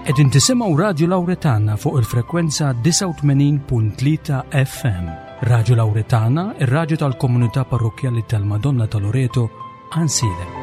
Qegħdin tisimgħu Radju Lawretana fuq il-frekwenza 89.3 FM. Radju Lawretana, ir-radju tal-komunità parrokkjali tal-Madonna ta' Loreto, Għansielem.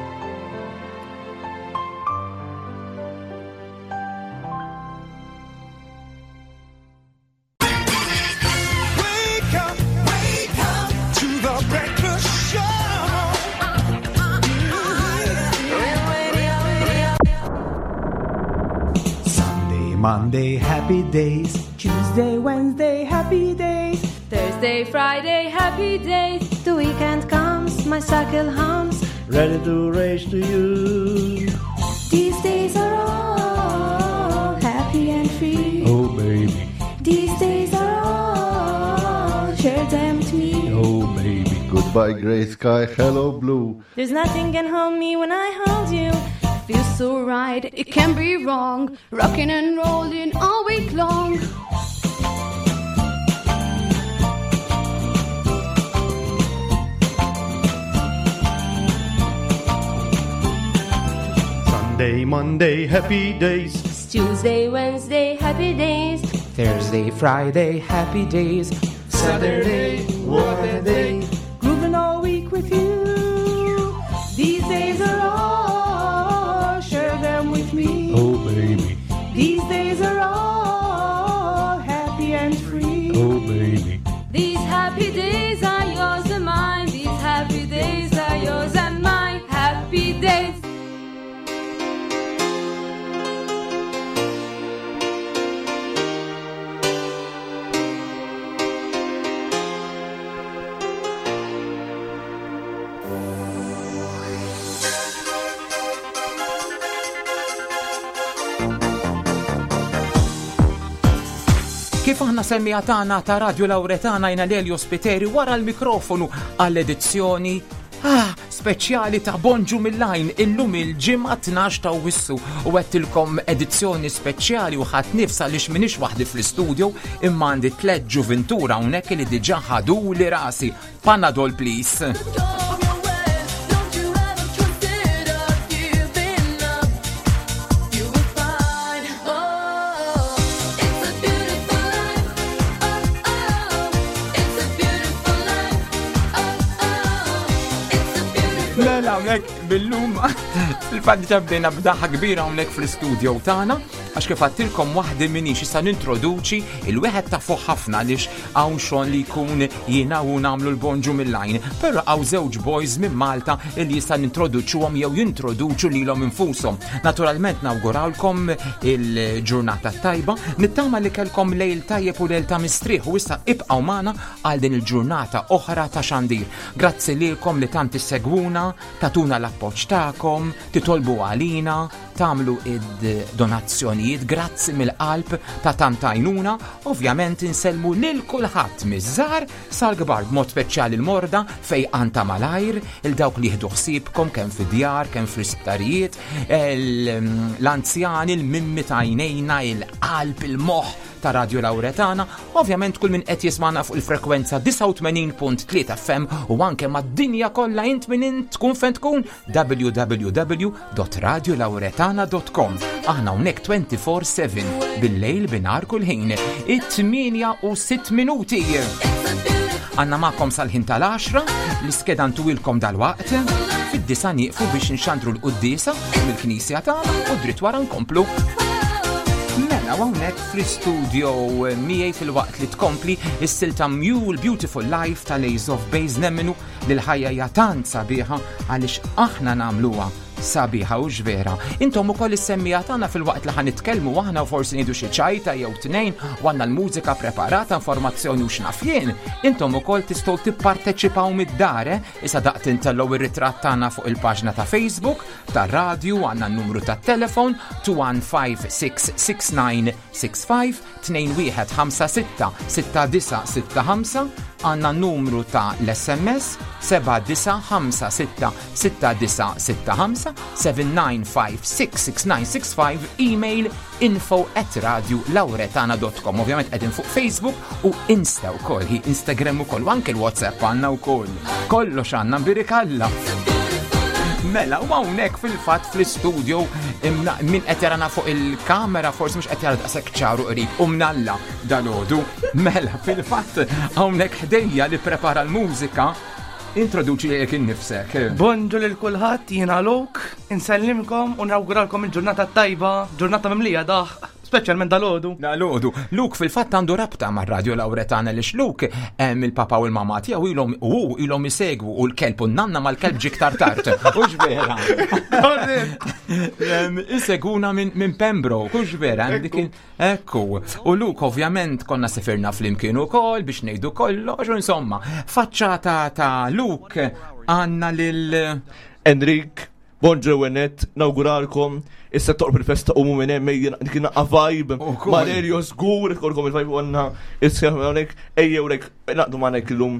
Sunday, Monday, happy days. Tuesday, Wednesday, happy days. Thursday, Friday, happy days. The weekend comes, my cycle hums. Ready to race to you. These days are all happy and free. Oh, baby. These days are all, share them with me. Oh, baby. Goodbye, gray sky. Hello, blue. There's nothing can hold me when I hold you. Feels so right, it can't be wrong. Rocking and rolling all week long. Sunday, Monday, happy days. Tuesday, Wednesday, happy days. Thursday, Friday, happy days. Saturday, what a day. Grooving all week with you. These days are all, share them with me. Oh, baby. These days are all happy and free. Oh, baby. These happy days are yours and mine. These happy days are yours and mine. Happy days. Kif aħna semmija tagħna ta' Radio Lauretana jina Lelio Spiteri wara l-mikrofonu għall-edizzjoni ah, speċjali ta' Bonġu mill-lajn illum il-ġimgħa 12 ta' Wissu u għedtilkom edizzjoni speċjali u ħadd nifs għaliex m'iniex waħdi fl-istudio imma għandi tliet ġuvintura hawnhekk li diġà ħaduli rasi. Panadol please. Mela hawnhekk bil-lum il-fatt diġà bdejna b'daħħa kbira hawnhekk fl-istudio tagħna għax kif għadtilkom waħdi minix issa nintroduċi il-wieħed ta' fuq ħafna għaliex hawn xogħol li jkun jiena u nagħmlu l-bonġu mill-lajn, però hawn żewġ boys minn Malta li jista' nintroduċuhom jew jintroduċu lilhom infushom. Naturalment nawgurawlkom il-ġurnata tajba, nittama li kellkom lejl tajjeb u lejl ta' mistrieħ u issa ibqgħu magħna għal din il-ġurnata oħra ta' xandir. Grazzi lilkom li tant issegwuna, tatuna l-appoġġ tagħkom, titolbu għalina, tagħmlu id-donazzjonijiet, grazzi mill-qalb ta' tant għajnuna, ovvjament insellmu lil kulħadd miż-żgħar sal-kbar b'mod speċjali l-morda fejqan ta' malajr, il dawk li jieħdu ħsiebkom kemm fid-djar, kemm fl-isptarijiet, l-anzjani, l-mimmi ta' għajnejna, il-qalb, il-moħħ ta' Radio Lauretana, ovvjament kull min qed jismana fuq il-frekwenza 89.3 FM u anke mad-dinja kollha int min int tkun fejn tkun www.radiolauretana.com. Aħna hawnhekk 24/7 bil-lejl binar kull ħin. It-8 u 6 minuti. Għanna magħkom sal-ħin tal-10, l-iskeda ntuwilkom dal-waqt, fid-disa nieqfu biex nxandru l-quddiesa mill-knisja tagħna u dritt wara nkomplu. Mela hawnhekk fl-istudio miegħi fil-waqt li tkompli is-silta Mule Beautiful Life tal-Ace of Base nemmenu li l-ħajja hija tant sabiħa għaliex aħna nagħmluha sabiħa u vera. Intom ukoll is-semmija tagħna fil-waqt li ħanitkellmu aħna u forsi ngħidu xi ċajta jew tnejn u għandna l-mużika preparata, informazzjoni u x'naf jien. Intom ukoll tistgħu tipparteċipaw mid-dar, eh? Issa daqt intellgħu ir-ritratt tagħna fuq il-paġna ta' Facebook, tar-radju, għandna n-numru tat-telefon 215669 65 2156 6965 għandna n-numru ta' l-SMS 7956 6965 79566965 email info at radiolauretana.com Ovvjament qegħdin fuq Facebook u Insta wkoll, hi Instagram ukoll, u anke l-WhatsApp għandna wkoll. Kollox għandna mbirikalla. Mela, u hawnhekk fil-fatt fl-istudio min qed jarana fuq il-kamera forsi mhux qed jara daqshekk ċaru qrib u mnalla dalodu. Mela, fil-fatt hawnhekk ħdejja li prepara l-mużika introduċi lilek innifsek. Bonġu lil kulħadd, jiena Luke, insellimkom u nawguralkom il-ġurnata tajba, ġurnata mimlija daħ, speċjalment dalodu. Dalodu. Luke fil-fatt għandu rabta mar Radio Lauretana li Luke il-papa u l-mama tiegħu ilhom u ilhom isegwu u l-kelb u n-nanna mal-kelb ġie iktar tard. Hux vera. Iseguna minn Pembroke, hux vera, dik Ekku, u Luke ovvjament konna sifirna flimkien ukoll biex ngħidu kollox, u insomma, faċċata ta' Luke għandna lil Enrik, bonġu Wenet, nawguralkom, issa toqrob il-festa u minn hemm dik naqqa vibe. Valerio żgur ikolkom il-vibe għandna issa hawnhekk ejjew rek naqdu magħnek illum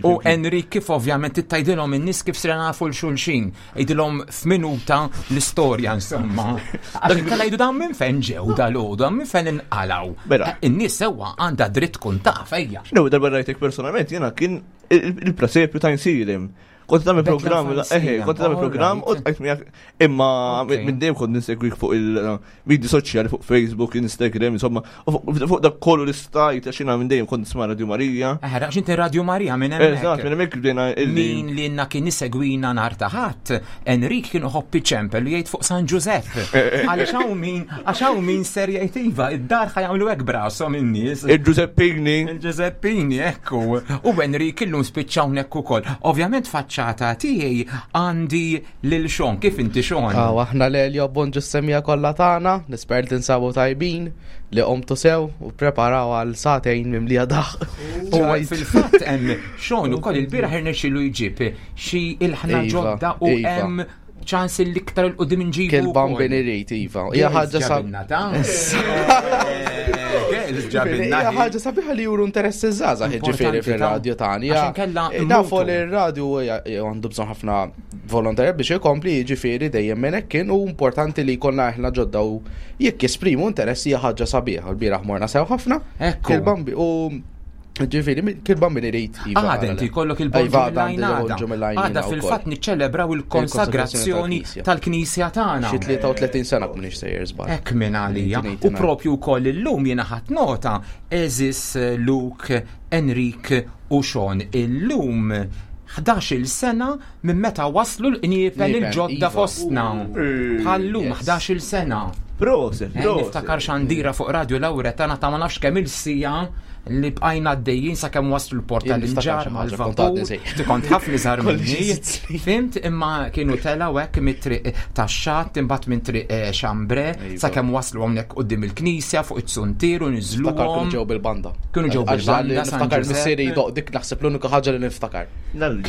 U Enrik kif ovvjament tittajdilhom in-nies kif sirna nafu l-xulxin, idilhom f'minuta l-istorja insomma. Għax inkella jgħidu dan minn fejn ġew dal-għodu, minn fejn inqalgħu. Mela. In-nies sewwa għandha dritt tkun taf ejja. No, darba rajtek personalment jiena kien il-presepju ta' Insilim. Kont tagħmel programm, eħe, kont tagħmel programm u tqajt miegħek imma minn dejjem kont nisegwik fuq il-midi soċjali fuq Facebook, Instagram, insomma, fuq dak kollu li stajt għax jiena minn dejjem kont nisma' Radio Marija. Eħe, għax inti Radio Marija minn hemmhekk. Eżatt, minn hemmhekk bdejna Min li na kien isegwina nhar ta' ħadd, Enrik kien iħobb iċempel u jgħid fuq San Ġużepp. Għaliex hawn min, għax hawn min ser jgħid iva, id-dar ħa jagħmlu hekk brashom in-nies. Il-Ġużeppini. Il-Ġużeppini, ekku. U Enrik illum spiċċa hawnhekk ukoll. Ovvjament faċċata tiegħi għandi lil Sean. Kif inti Sean? Aw, aħna l-Elio bonġu s-semija kollha tagħna, nisper li tinsabu tajbin, li qomtu sew u preparaw għal sagħtejn mimlija daħq. U fil-fatt hemm Sean ukoll il-bieraħ irnexxielu jġib xi ilħna Iva, ġodda u iva. hemm ċans li iktar il-qudiem inġibu. Kien bambin irid, iva. Hija ħaġa sa- Girls ġabilna. Hija ħaġa sabiħa li juru interess iż-żgħażagħ jiġifieri Importanti, fir-radju tagħna. Għax inkella Nafu mmutu. li r-radju għandu bżonn ħafna volontarja biex ikompli jiġifieri dejjem minn hekk kien u importanti li jkollna aħna ġodda u jekk jesprimu interess hija ħaġa sabiħa. L-bieraħ morna sew ħafna. Ekku. Kil-bambi u ġifieri kil-bambi irid. iva, Għada inti jkollok il-bonġu Iva, għada għandi mill-għajnada. il-bonġu mill-għajnina Għada wkoll. fil-fatt niċċelebraw il-konsagrazzjoni tal-Knisja tagħna. Xi 33 sena m'iniex sejjer żball. Hekk minn għalija. U 1989. propju wkoll illum jiena ħadd nota Eżis, Luke, Enrik u Sean. Illum 11-il sena minn meta waslu l-qniepen Qniepen, il-ġodda iva. fostna. Bħallum Yes. 11-il sena. Proset, proset. Niftakar xandira fuq Radio Lauretana ta' ma nafx kemm il-sija li bqajna għaddejjin sakemm waslu l-port Jien niftakar tal-inġar xi ħaġa, kont mal-vapur. għadni sejjer. Ti kont ħafna iżgħar Kolli minni. sitt snin. Fimt imma kienu telaw hekk mit-triq tax-xatt imbagħad minn triq Xambre Iva. sakemm waslu hawnhekk quddiem il-knisja fuq it-suntier u Niftakar niżluhom. kienu ġew bil-banda. Kienu ġew Għax dan li bil-banda, San Niftakar Giuseppe. missieri jdoq dik naħseb l-unika ħaġa li niftakar.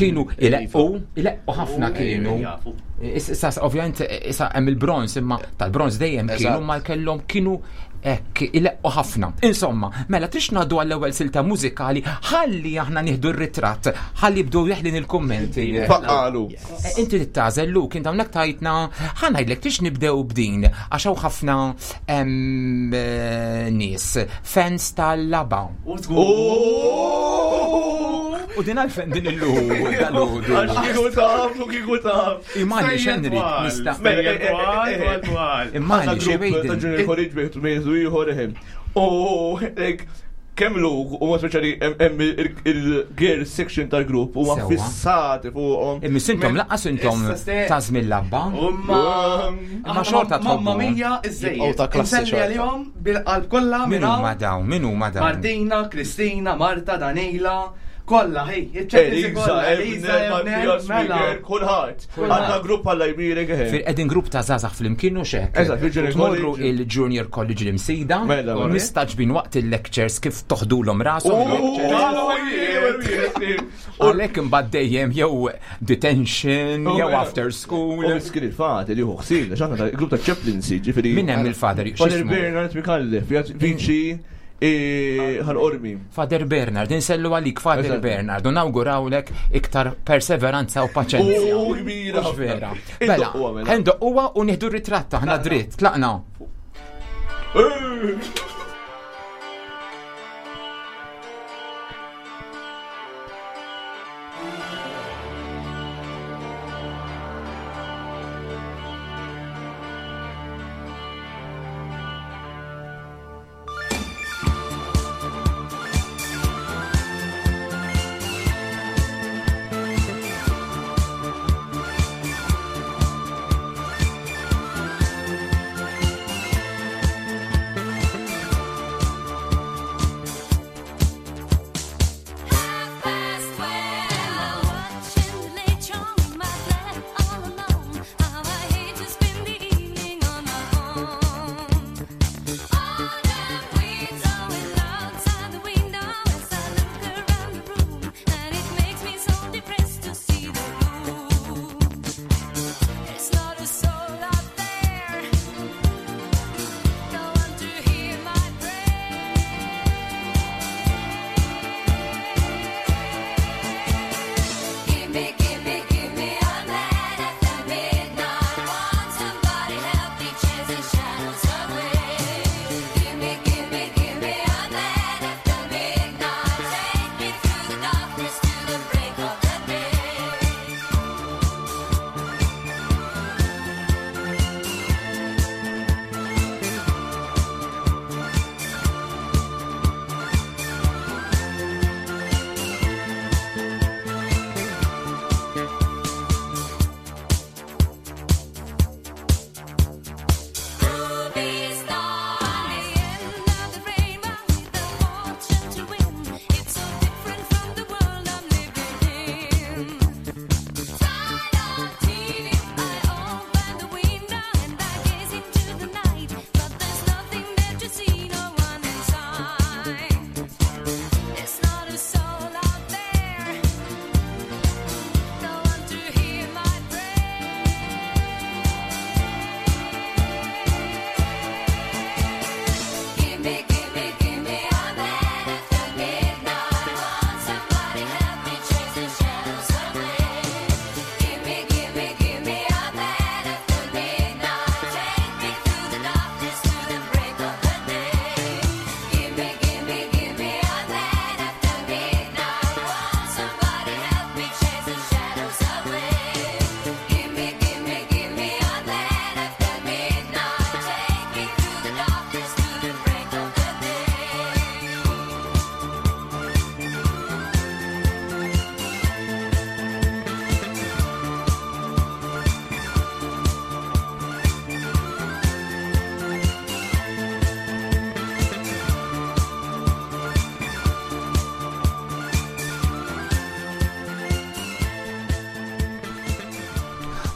Kienu ileqqu, ileqqu ħafna kienu. Jafu. Issa ovvjament issa hemm il-bronz imma tal-bronz dejjem kienu Eżatt. ma kellhom kienu hekk ileqqu ħafna. Insomma, mela trix ngħaddu għall-ewwel silta mużikali ħalli aħna nieħdu r-ritratt, ħalli jibdew jeħlin il-kummenti. Faqqalu. Inti tittażel Luke, inti hawnhekk tajtna ħa ngħidlek tix nibdew b'din għax hawn ħafna nies fans tal-laba. U din għalfejn din illum dal-għodu. Għax kieku taf, u kieku taf. Imma xenri, nista' Sejjer twal, twal, twal. Imma Għandna xi grupp ta' wejden. Junior College bejtu mejzu ieħor eħem. U like, kemm lu u ma speċjali hemm il-girl section tal-grupp huma Sewwa. fissati fuqhom. Imma sintom laqqas intom Issa ste- ta' żmien labba. Umma. Imma xorta Mamma tħobbu. mia, Jibqgħu iżżejjed. ta' klassi Inselli xorta. għalihom bil-qalb kollha Min minn huma hawn. dawn? Min huma dawn? Martina, Kristina, Marta, Danila, kollha, hej, iċ-ċeklisti Eliza, kollha, Eliza, Ebner, Ebner, Mattias, mela. Miguel, kulħadd. Għandna grupp għalla jbirek eħem. Fil qegħdin grupp ta' żgħażagħ flimkien u xek. Eżatt, fil-Junior Tmorru College. il-Junior College l-Imsida. Mela, mela. Mistaġbin waqt il-lectures kif toħdulhom rashom. il-lectures. Għalhekk imbagħad dejjem jew detention, jew after school. U miskin il-fat li hu ħsin, għax aħna tal-grupp ta' chaplaincy, ġifieri. Min hemm il-father? Father X'ismu? Bernard Mikallef, viċi ħal-qormi. Father Bernard, insellu għalik Father Eżatt. Bernard, u nawgurawlek iktar perseveranza u paċenzja. U kbira. Mhux vera. Mela, Indoqquha, mela. ħendoqquha u nieħdu ritratt aħna dritt, tlaqna.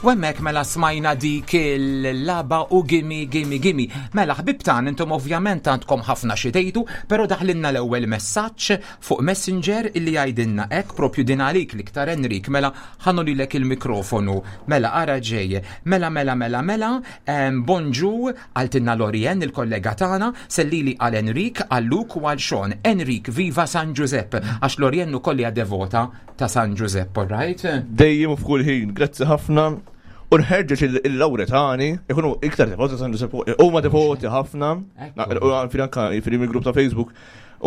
U hemmhekk mela smajna dik il-laba u gimme gimme gimme. Mela ħbib tagħna intom ovvjament għandkom ħafna xi tgħidu, però daħlilna l-ewwel messaġġ fuq Messenger illi jgħidilna hekk propju din għalik l-iktar Enrik, mela ħa nolilek il-mikrofonu. Mela ara ġej. Mela mela mela mela, bonġu qaltilna Lorien il-kollega tagħna, sellili għal Enrik, għal Luke u għal Sean. Enrik, viva San Ġużepp, għax Lorien ukoll hija devota ta' San Ġużepp, all right? Dejjem u f'kull ħin, grazzi ħafna. U nħeġġeġ il-Lawretani, ikunu iktar devoti ta' San Ġużepp, huma devoti ħafna, u għanfin anka fil grupp ta' Facebook,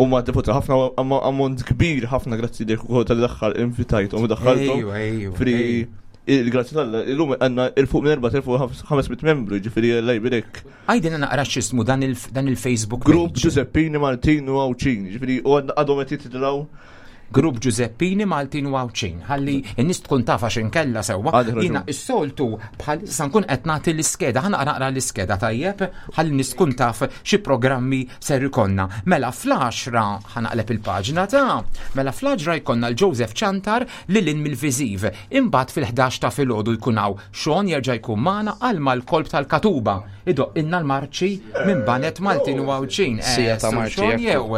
huma devoti ħafna, ammont kbir ħafna grazzi lilek ukoll tal-daħħal invitajthom u daħħalthom. Fri il-grazzi tal illum għandna il-fuq minn 4500 membru, ġifieri Alla jbirek. Għidilna naqra x'ismu dan il-Facebook Grupp Giuseppini Maltin u Għawdxin, ġifieri u għadhom qed jitilgħu Grupp Ġużeppini Maltin u Għawdxin. Ħalli n-nies tkun taf għax inkella sewwa. Jiena s-soltu bħal issa nkun qed nagħti l-iskeda, ħa naqra l-iskeda tajjeb, ħalli n-nies tkun taf xi programmi ser ikollna. Mela fl-għaxra ħa naqleb il-paġna ta' mela fl-għaxra jkollna l-Joseph Ciantar lil hinn mill-viżiv. Imbagħad fil-ħdax ta' filgħodu jkun hawn Sean jerġa' jkun magħna għal mal-kolb tal-Katuba. Idoqqilna l-marċi minn banet Maltin u Għawdxin. Sija ta' marċi. Jew.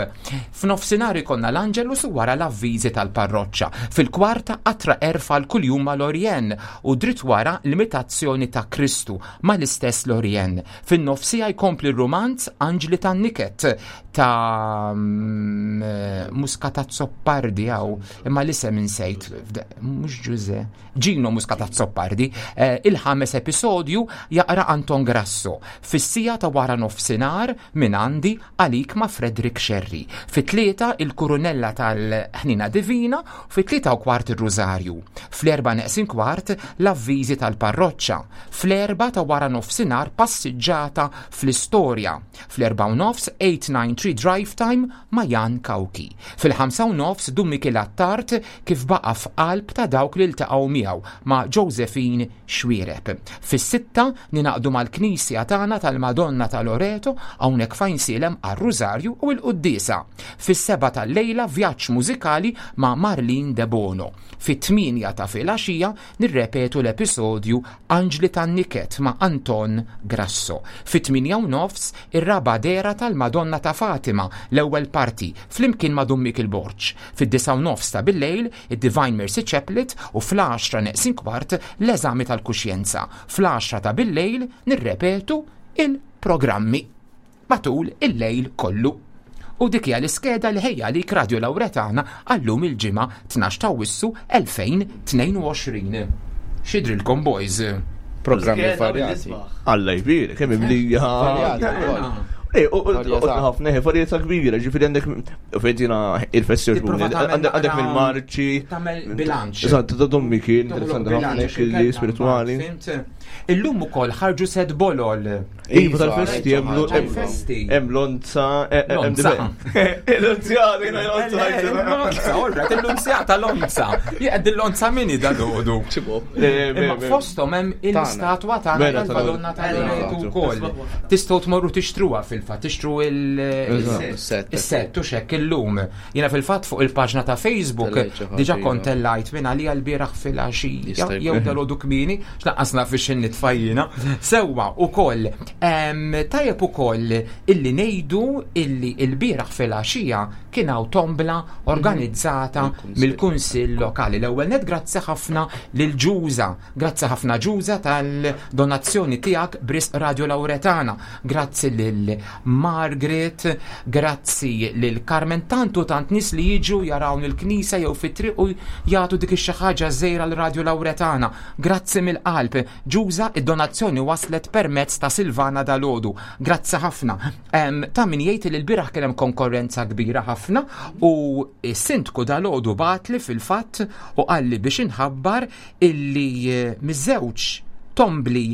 F'nofsinhar ikollna l-Angelus u wara l-avviżi tal-parroċċa. Fil-kwarta qatra għerf għal kuljum ma' Lorien u dritt wara l-imitazzjoni ta' Kristu mal-istess Lorien. Fin-nofsija jkompli r-rumanz Anġli tan-Niket ta' mm, Muscat Azzopardi hawn imma l-isem insejt mhux Ġuże. Gino Muscat Azzopardi, eh, il-ħames episodju jaqra Anton Grasso. Fis-sija ta' wara nofsinhar minn għandi għalik ma' Frederick Scerri. Fit-tlieta il-Kurunella tal-Ħnina Divina, fit-3:15 ir-Rużarju. Fl-erba' neqsin kwart l-avviżi tal-parroċċa. Fl-erba' ta' wara nofsinhar passiġġata fl-istorja. Fl-4:30 893 Drive Time ma' Jan Cauchi. Fil-5:30 Dun Mikiel Attard kif baqa' f'qalb ta' dawk li ltaqgħu miegħu ma' Josephine Xuereb. Fis-sitta ningħaqdu mal-Knisja tagħna tal-Madonna ta' Loreto hawnhekk f'Għajnsielem għar-Rużarju u l-Quddiesa. Fis-sebgħa tal-lejla vjaġġ mużikali ma' Marlene Debono. Fit-tmienja ta' filgħaxija nirrepetu l-episodju Anġli tan-Niket ma' Anton Grasso. Fit-8:30 ir-raba' dehra tal-Madonna ta' Fatima, l-ewwel parti, flimkien ma' Dun Mikiel Borg. Fid-9:30 ta' billejl id-Divine Mercy Chaplet u fl-għaxra neqsin kwart l-eżami tal-kuxjenza. Fl-għaxra ta' billejl nirrepetu il-programmi matul il-lejl kollu. U dik hija l-iskeda li ħejja għalik Radio Lawretana għal-lum il-Ġimgħa 12 ta' Awwissu 2022. X'jidhrilkom boys? Programmi varjati. Alla jbierek, kemm imlija. Varjati. Eh, u ħafna, eh, varjetà kbira, ġifieri għandek fejtina il-festi għandek mill-marċi. Tagħmel bilanċ. Eżatt, ta' dommi kien, interessanti ħafna, li spirituali. Illum ukoll ħarġu set bolol. Iva tal-festi hemm hemm lonza eh, eh, lonza. L-lonzjata, jiena lonza. Lonza, orra, l-lonzjata lonza. Jgħed il-lonza mini da dodu. Imma fosthom hemm il-statwa tagħna tal-Madonna tal-Loreto wkoll. Tistgħu tmorru tixtruha fil-fatt, tixtru il-set u xekk illum. Jiena fil-fatt fuq il-paġna ta' Facebook diġà kont tellajt minn għalija l-bieraħ fil-għaxija jew dalodu kmieni, x'laqqas naf biex nitfa' jiena. Sewwa ukoll tajjeb ukoll illi ngħidu illi l-bieraħ fil-għaxija kien hawn tombla organizzata mill-Kunsill Lokali. L-ewwel net grazzi ħafna lil Ġuża, grazzi ħafna Ġuża tal-donazzjoni tiegħek b'risq Radio Lawretana, grazzi lil Margaret, grazzi lil Carmen, tant u tant nies li jiġu jarawn il-knisja jew fit-triq u jagħtu dik ix-xi ħaġa żgħira l Radio Lawretana. Grazzi mill-qalb. Ġuża, id-donazzjoni waslet permezz ta' Silvana dalgħodu. Grazzi ħafna. Ta' min jgħid li l-bieraħ kien hemm konkorrenza kbira ħafna u s-sindku dalgħodu bagħatli fil-fatt u qalli biex inħabbar illi eh, miż-żewġ tombli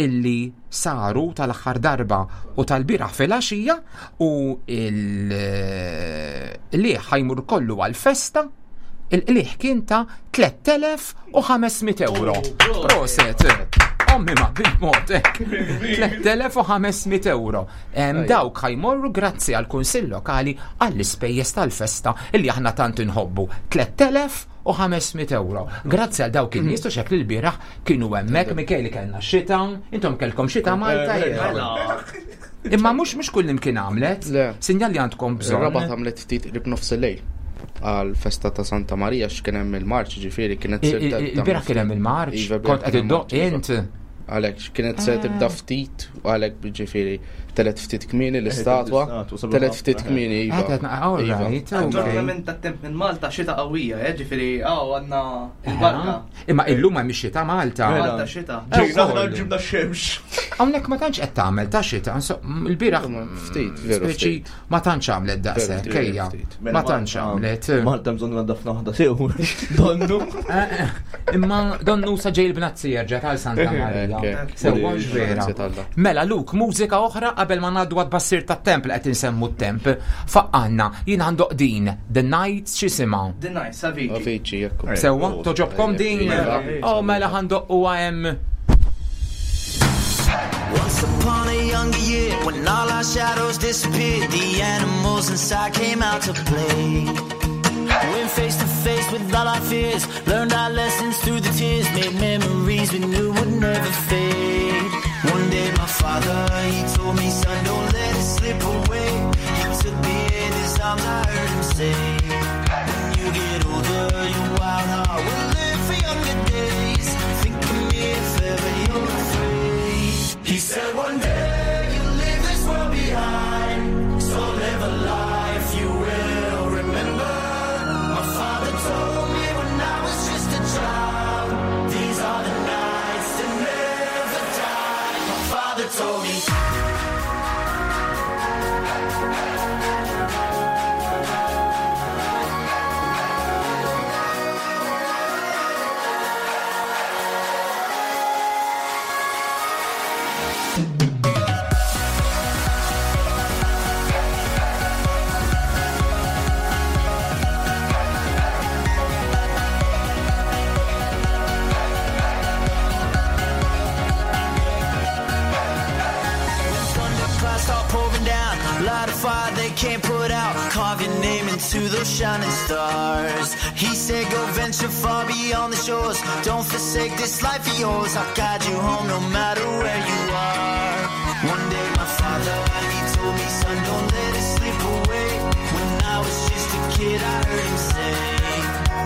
illi saru tal-aħħar darba u tal-bieraħ fil-għaxija u il-liħ eh, ħajmur kollu għal-festa Il-qligħ kien ta' 3500 euro. Proset. Ommi ma bil-mod 3500 euro. Dawk ħajmorru grazzi għal kunsill lokali għall-ispejjeż tal-festa illi aħna tant inħobbu. 3500 1500 euro. Grazzi għal dawk in-nies u xekk li l-bieraħ kienu hemmhekk Michele kellna xita, intom kellkom xita Malta. Eh, eh. Imma mhux mhux kull imkien għamlet. Sinjal li għandkom bżonn. Rabat għamlet ftit qrib nofs il-lejl għal festa ta' Santa Maria x'kien hemm il-marċ ġifieri kienet Il-bieraħ kien hemm il-marċ, iva, kont qed iddoq int. Għalhekk kienet se tibda ah. ftit u għalhekk ġifieri telet ftit kmieni l-istatwa, telet ftit kmieni iva. Iva. Aġġornament tat-temp minn Malta xita qawwija, eh, ġifieri hawn għandna il-barka. Imma illum hemm ix-xita Malta. Malta xita. Ġejna aħna ġibna x-xemx. Hawnhekk ma tantx qed tagħmel ta' xita, il-bieraħ ftit, veru ftit. Ma tantx għamlet daqshekk, ejja. Mela, Ma tantx għamlet. Malta bżonn naddafna waħda sew. Donnu. Eh, eh, imma donnu sa ġej il-bnazzi jerġa' tal Santa Marija. Sewwa vera. Mela Luke, mużika oħra qabel ma ngħaddu għad bassir tat-temp li qed insemmu t-temp. Faqqanna, jien għandoq din, The Nights x'isimha? The Nights, Avicii. Avicii, jekk. Sewwa, toġobkom din? Iva. Oh, mela ħandoq u hemm. Once upon a younger year, when all our shadows disappeared, the animals inside came out to play. Went face to face with all our fears, learned our lessons through the tears, made memories we knew would never fade. One day my father, he told me, son, don't let it slip away. He took me in his arms, I heard him say, when you get older, your wild heart will live for younger days. Think of me if ever you're afraid. He said one day you'll leave this world behind, so live a life you will remember. My father told me when I was just a child, these are the nights that never die. My father told me. Thunderclouds start pouring down, light a fire they can't put out. Carve your name into those shining stars. He said, Go venture far beyond the shores. Don't forsake this life of yours. I'll guide you home no matter where you are. One day, my father, he told me, Son, don't let it slip away. When I was just a kid, I heard him say,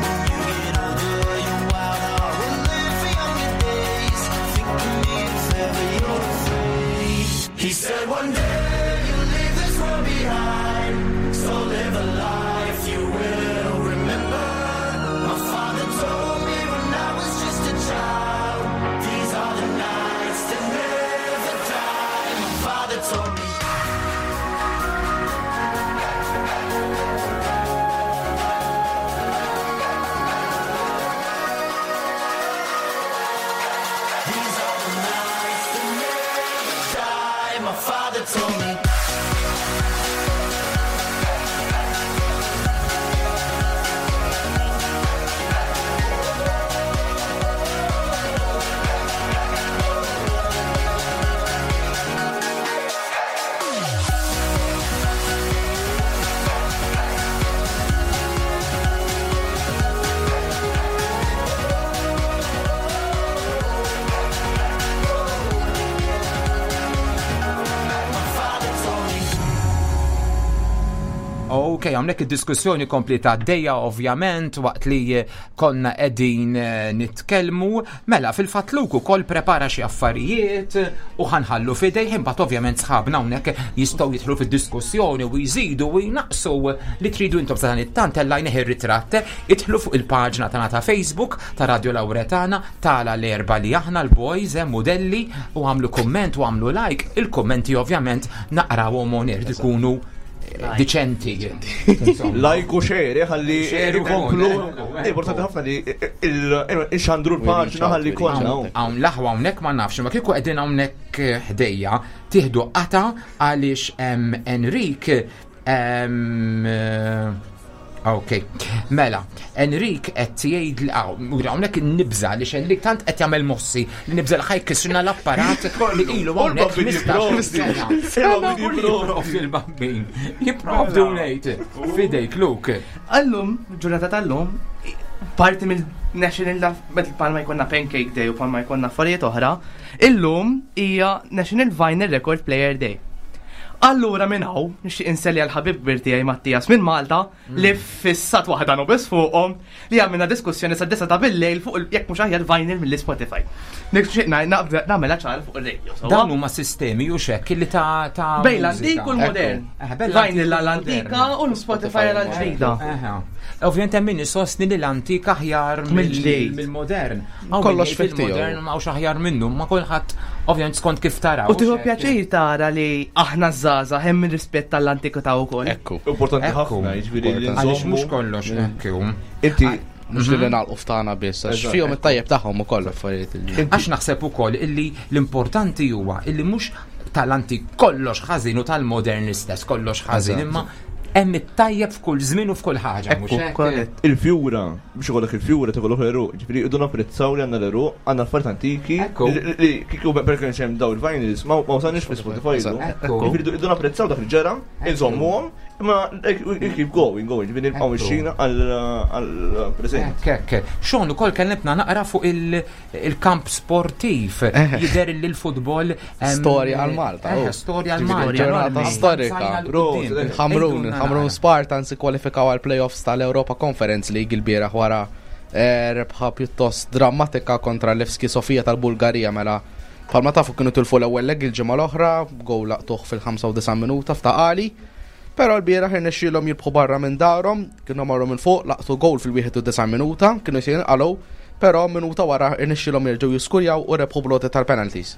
When you get older, your wild heart will live for younger days. Think of me if ever you're afraid. He said one day you'll leave this world behind. So live a life you will remember. My father told me when I was just a child. These are the nights that never die. My father told me. These are the nights that never die. My father told me. My father told me. Ok, hawnhekk id-diskussjoni komplita għaddejja ovvjament waqt li konna qegħdin eh, nitkellmu. Mela, fil-fatt Luke ukoll prepara xi affarijiet u ħanħallu f'idejh imbagħad ovvjament sħabna hawnhekk jistgħu jidħlu fid-diskussjoni u jżidu u jnaqsu li tridu intom sa dan it-tant tellajnih ir-ritratt. Idħlu fuq il-paġna tagħna ta' Facebook ta' Radio Lauretana tala l-erba li aħna l-boys hemm modelli u għamlu kumment u għamlu like. Il-kummenti ovvjament naqrawhom on air ikunu eh, diċenti. Insomma. Like u share, ħalli Share u ikomplu. kol, eh. Importanti ħafna li il-xandru l-paġna ħalli konna. Hawn l-aħwa hawnhekk ma nafx, ma kieku qegħdin hawnhekk ħdejja tieħdu qata għaliex hemm Enrik em, eh, Ok, mela, Enrik qed jgħid li hawnhekk nibża li Enrik tant qed jagħmel mossi li nibża li ħajkisrna l-apparat li ilu hawnhekk Il-bambin 15 sena. jipprovdi. U Jipprovdi l-bambin. Jipprovdi ngħid. Fidejk, Luke. Allum, ġurnata tal-lum, Parti mill-National palma jkollna Pancake Day u palma jkollna affarijiet oħra, illum hija National Vinyl Record Player Day. Allura minn hawn nixtieq inselli għal ħabib kbir tiegħi Mattias minn Malta li fissat waħda biss fuqhom li għamilna diskussjoni sa' disa ta' bil-lejl fuq jekk mhux aħjar vinyl mill-Spotify. Nixtieq nagħmilha ċara fuq ir-radio. Dawn huma sistemi u xekk li ta' ta' Bejn l-antik u l-modern. Vinyl għall-antika u l-Spotify għall-ġdida. Ovvjament hemm min isostni li l-antik aħjar Mill-ġdid. mill-modern. Kollox fih tiegħu. Modern ma hawnx aħjar minnu, ma kulħadd ovvjament skont kif taraw. U tieħu pjaċir tara li aħna żgħażagħ hemm ir-rispett tal-antikità wkoll. Ekku. Importanti Ekku. ħafna, jiġifieri li Għaliex mhux nżommu. kollox ekku. Inti Mhux li nagħlqu ftana biss, għax Eżatt, fihom ekku. it-tajjeb tagħhom ukoll affarijiet li. Għax naħseb ukoll illi l-importanti huwa illi mhux tal-antik kollox ħażin u tal-modern l-istess kollox ħażin, Eżatt. imma hemm it-tajjeb f'kull żmien u f'kull ħaġa, mhux hekk? korrett. Il-fjura, biex ikollok il-fjura tikollok l-eruq, ġifieri idu napprezzaw li għandna l-eruq, għandna affarijiet antiki, Ekku. li- li kieku per kienx hemm daw il-vinyls, ma ma wasalniex fi Spotify. Eżatt. illum. Ekku. Ġifieri idu napprezzaw dak li ġara, inżommuhom, imma like, we keep going, going, ġifieri nibqgħu Ekku. mixjin għall-preżent. Hekk, hekk. Xon ukoll kellimtna naqra fuq il-kamp sportiv. Jidher li l-futbol Storja għal Malta, oh. Storja għal Ġifieri Malta. ġurnata enormi. storika. Avanzajna 'l Bro, quddiem. Il-Ħamrun, Ejdulna il-Ħamrun naqra. Spartans ikkwalifikaw għal playoffs tal-Europa Conference League il-bieraħ wara rebħa pjuttost drammatika kontra Levski Sofija tal-Bulgarija mela Palma tafu kienu tilfu l-ewwel leg il-ġimgħa l-oħra, gowl laqtuh fil-95 minuta f'taqali. Però l-bieraħ irnexxielhom jirbħu barra minn darhom, kienu marru minn fuq, laqtu gowl fil-91 minuta, kienu se jinqalgħu, però minuta wara irnexxielhom jerġgħu jiskurjaw u rebħu bloti tal-penalties.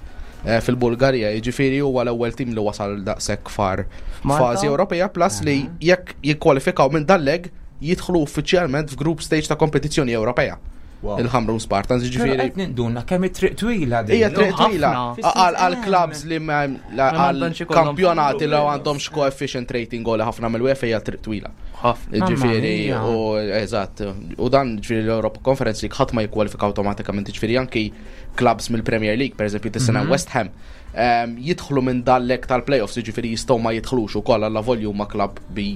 Fil-Bulgarija, jiġifieri huwa l-ewwel tim li wasal daqshekk far F'Malta? fażi Ewropea plus li jekk jikkwalifikaw minn dal-leg jidħlu uffiċjalment f'group stage ta' kompetizzjoni Ewropea. Wow. Il-Ħamrun Spartans, Però jiġifieri qed ninduna kemm it-triq twila din. Hija triq twila ħafna. għal clubs li ma Ma għal m'għandhomx ikollhom kampjonati li għandhomx coefficient rating għoli ħafna mill-UEFA hija triq twila. Ħafna. Ġifieri mia. u eżatt, u dan ġifieri l-Europa Conference League ħadd ma jikkwalifika awtomatikament, ġifieri anki clubs mill-Premier League, pereżempju tis-sena West Ham, jidħlu minn dal-lek tal-playoffs, ġifieri jistgħu ma jidħlux ukoll alla volju ma club bi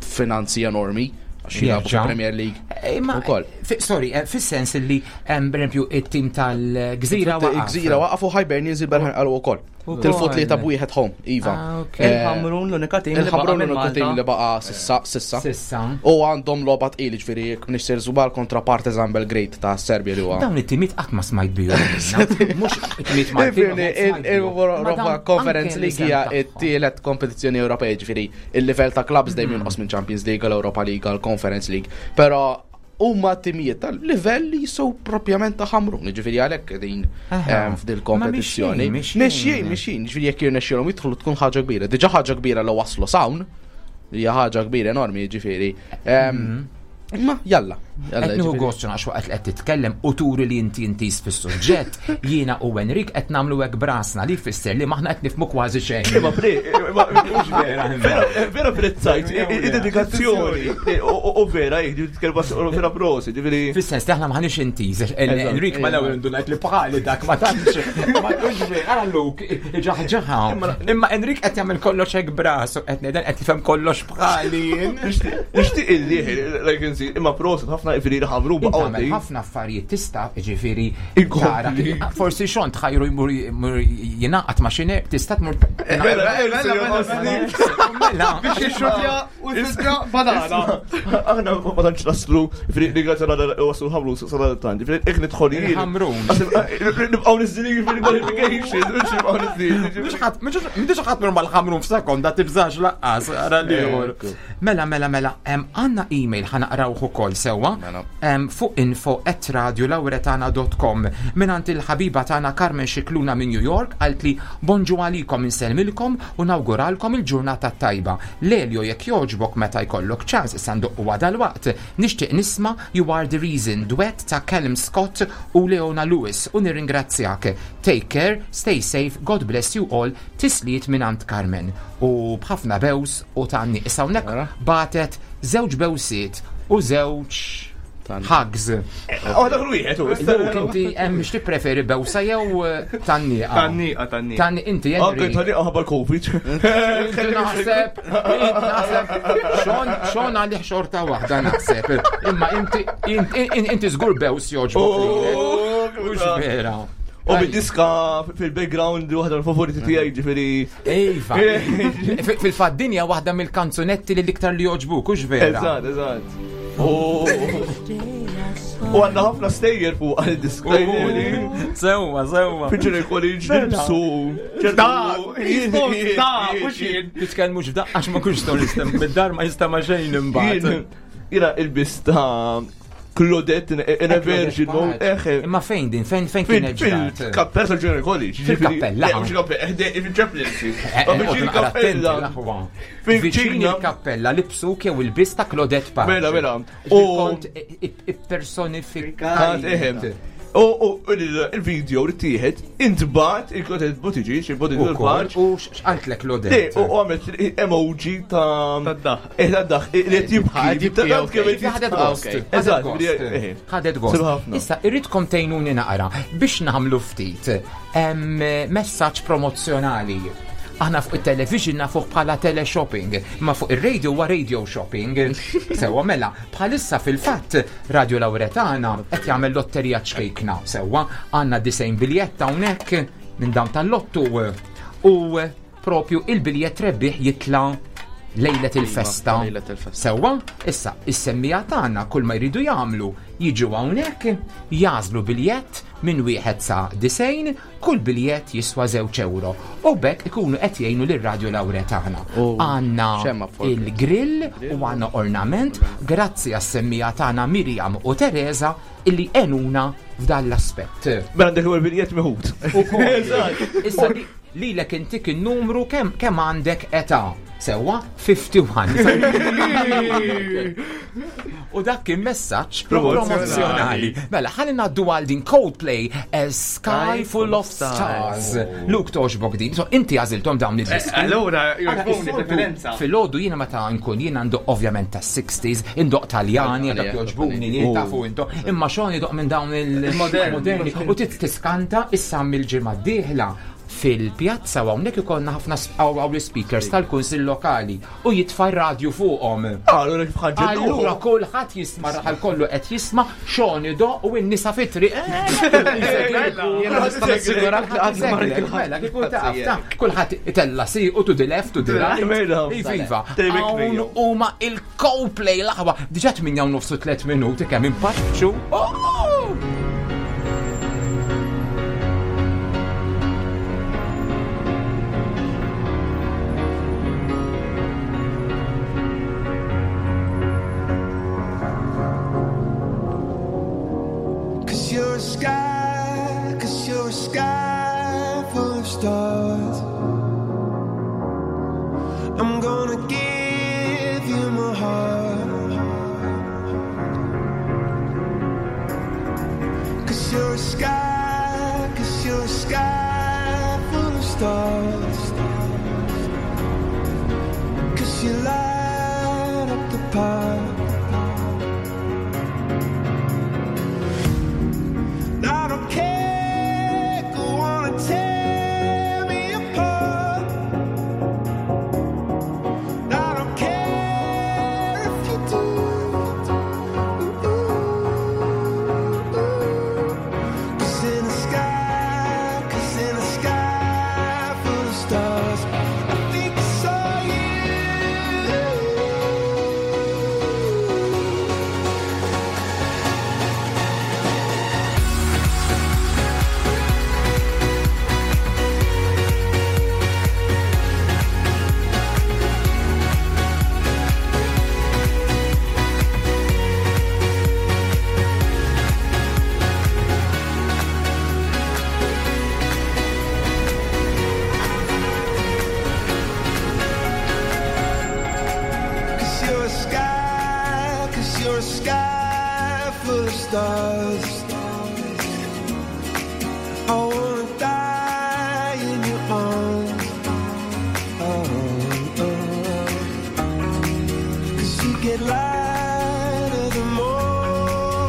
finanzi enormi għax jilagħbu Jerġa'. fil-Premier League. Imma, Ukoll. sorry, fis-sens li, per esempio, it-tim tal-Gżira waqaf. Gżira waqafu Hibernians il-berħan qalu ukoll. Tilfu tlieta b'wieħed home, iva. Ah, ok. Il-Ħamrun l-unika tim li baqa' Il-Ħamrun minn l-uniku tim Malta. li baqa sissa, sissa. Sissa. U għandhom logħba tqil ġifieri jekk nixser żubal kontra Partizan Belgrade ta' Serbia li huwa. Dawn it-timiet qatt ma smajt bihom. Mhux it-timiet Maltin. Ifirni, il-Europa Conference League hija t-tielet kompetizzjoni Ewropea, ġifieri il-livell ta' clubs dejjem jonqos minn Champions League, l-Europa League, l-Conference League. Però huma timijiet tal-livell li jisow propjament ta' Ħamrun, ġifieri għalhekk din Aha. f'dil kompetizzjoni. Ma mixjin, mixjin. Mixjin, mixjin, ġifieri jekk jirnexxielhom jidħlu tkun ħaġa kbira. Diġà ħaġa kbira li waslu s'hawn, hija ħaġa kbira enormi, ġifieri. Ma jalla, jalla. Qed nieħu ġifieri. gost għax waqt li qed titkellem u turi li inti intis fis-suġġett, jiena u Enrik qed nagħmlu hekk brasna li jfisser li maħna qed nifhmu kważi xejn. Imma pre, imma mhux vera, vera, vera prezzajt, id-dedikazzjoni, u vera, jek, titkellem vera prosi, ġifieri. Fis-sens li aħna maħniex intiż, Enrik ma l-ewwel indunajt li bħali dak ma tantx. Ma tantx vera, ara Luke, ġaħġaħa. Imma Enrik qed jagħmel kollox hekk brasu, qed ngħidel qed jifhem kollox bħali. Nixtieq illi, like insi, imma prosi ħafna ġifieri li ħamru Inti baqgħu tagħmel ħafna affarijiet tista' ġifieri Inkompli. tara kif- forsi xon tħajru jmur jmur jingħaqad ma' xi ner- tista' tmur Mela, mela, Mela. Biex jixxutja u jfisra banana. Aħna ma tantx naslu, ġifieri li grazzi għal waslu ħamru sal tant, ġifieri jekk nidħol jien. Il-Ħamrun. Nibqgħu niżdilin fil-qualification, mhux nibqgħu niżdilin. Mhux ħadd mhux ħadd mur mal-ħamrun f'sekonda tibżax laqqas ara l-ieħor. Mela, mela, mela, għandna email ħanaqrawh ukoll sewwa Mela. fuq info at radiolauretana.com mingħand il-ħabiba tagħna Carmen Xikluna minn New York qalt li bonġu għalikom insellmilkom u nawguralkom il-ġurnata tajba. Lelio jekk jogħġbok meta jkollok ċans issa ndoqqu għada l-waqt. Nixtieq nisma' You Are the Reason duet ta' Callum Scott u Leona Lewis u nirringrazzjak. Take care, stay safe, God bless you all, tisliet mingħand Carmen. U b'ħafna bews u ta' issa hawnhekk Mela. batet żewġ bewsiet u żewġ Hugs. Oh, dak wieħed u. Luke, inti hemm x'tippreferi bewsa jew tanniqa? Tanniqa, tanniqa. Tanni inti Anke Henry. tanniqa ħabba l-Covid. Inti naħseb, inti naħseb, xon, xon għalih xorta waħda naħseb. Imma inti, inti, inti żgur bews joġbok lilek. Oh, Mhux vera. U bid-diska fil-background waħda l-favoriti tiegħi ġifieri. Iva. Fil-fatt dinja waħda mill-kanzunetti li l-iktar li joġbuk, hux vera. Eżatt, eżatt. U għandna ħafna stejjer fuq għal-diska. Sewwa, sewwa. Fiġri college nibsu. Da, da, mhux jien. Titkellmux f'daqqa għax ma kunx tistgħu nistem mid-dar ma jista' ma xejn imbagħad. Jina il-bis ta' Claudette in a virgin mode. Eħe. Imma fejn din? Fejn fejn kienet ġrat? Fil-kappella tal-Junior College. Fil-kappella. Le, mhux kappella, fil-chaplaincy. Eh, Fil-kappella. Viċin il-kappella libsu jew il-bis ta' Claudette Pace. Mela, mela. U kont ippersonifikat. Eħe. U il-video li tieħed intbat il-Claudette Buttigieg, il-Buttigieg Pace. U x'qaltlek Claudette? U għamlet emoji ta' Tad-daħ. Eh, tad-daħ, li qed jibki. Ħad jibki, Tant kemm qed Ħadet gost. Eżatt, Ħadet gost. Ħadet gost. Sib ħafna. Issa, irridkom tgħinuni naqra biex nagħmlu ftit messaġġ promozzjonali. Aħna fuq it-television nafuh bħala teleshopping, imma fuq ir-radio huwa radio shopping. Sewwa mela, bħalissa fil-fatt Radio Lauretana qed jagħmel lotterija ċkejkna. Sewwa għandna 90 biljett hawnhekk minn dawn tal-lottu u propju il-biljett rebbieħ jitla' lejlet il-festa. Lejlet il-festa. Sewwa, issa, is-semmija tagħna kull ma jridu jagħmlu jiġu hawnhekk, jażlu biljett minn wieħed sa 90, kull biljett jiswa 2 euro. U bekk ikunu qed jgħinu lir-Radio Lauretana. U Għandna xemma fuq il-grill u għandna ornament grazzi għas-semmija tagħna Miriam u Teresa illi għenuna f'dan l-aspett. Mela għandek ewwel biljett meħud. Ukoll. Issa lilek intik in-numru kemm kemm għandek età. Sewwa 51. U dak kien messaġġ promozzjonali. Mela, ħalli ngħaddu għal din Coldplay A Sky Full of Stars. Luke toġbok din. So inti għażilthom dawn id-diski. Allura, Ara, jogħġbuni is-soltu preferenza. Filgħodu jiena meta nkun jiena ndoq ovvjament tas-60s, indoq Taljani, dak jogħġbuni, jien tafu intom, imma xogħol idoq minn dawn il-moderni. U tit tiskanta issa mill-ġimgħa d-dieħla fil-pjazza u hawnhekk ikollna ħafna hawn l-speakers tal-kunsill lokali u jitfa' r-radju fuqhom. Allura kif ħaġġel. Allura kulħadd jisma' raħal kollu qed jisma' xogħol idoq u n-nisa fit-triq. Jiena nista' nassigurak li qatt ma rajt il-ħadd. Mela, kieku taf, ta' kulħadd itella si u to the left, to the right. Mela. Iva, iva. David Hawn Mayo. huma il-Coldplay l-aħwa. Diġà 8 u nofsu 3 minuti kemm impaċċu. Oh! Cause you're a sky, cause you're a sky full of stars. I'm gonna give you my heart. Cause you're a sky, cause you're a sky full of stars. Cause you light up the path. I don't care, go on and tear me apart. I don't care if you do. Cause in the sky, cause in the sky full of stars, I think I saw you. Cause you're a sky, cause you're a sky full of stars. I wanna die in your arms. Oh, oh. Cause you get lighter the more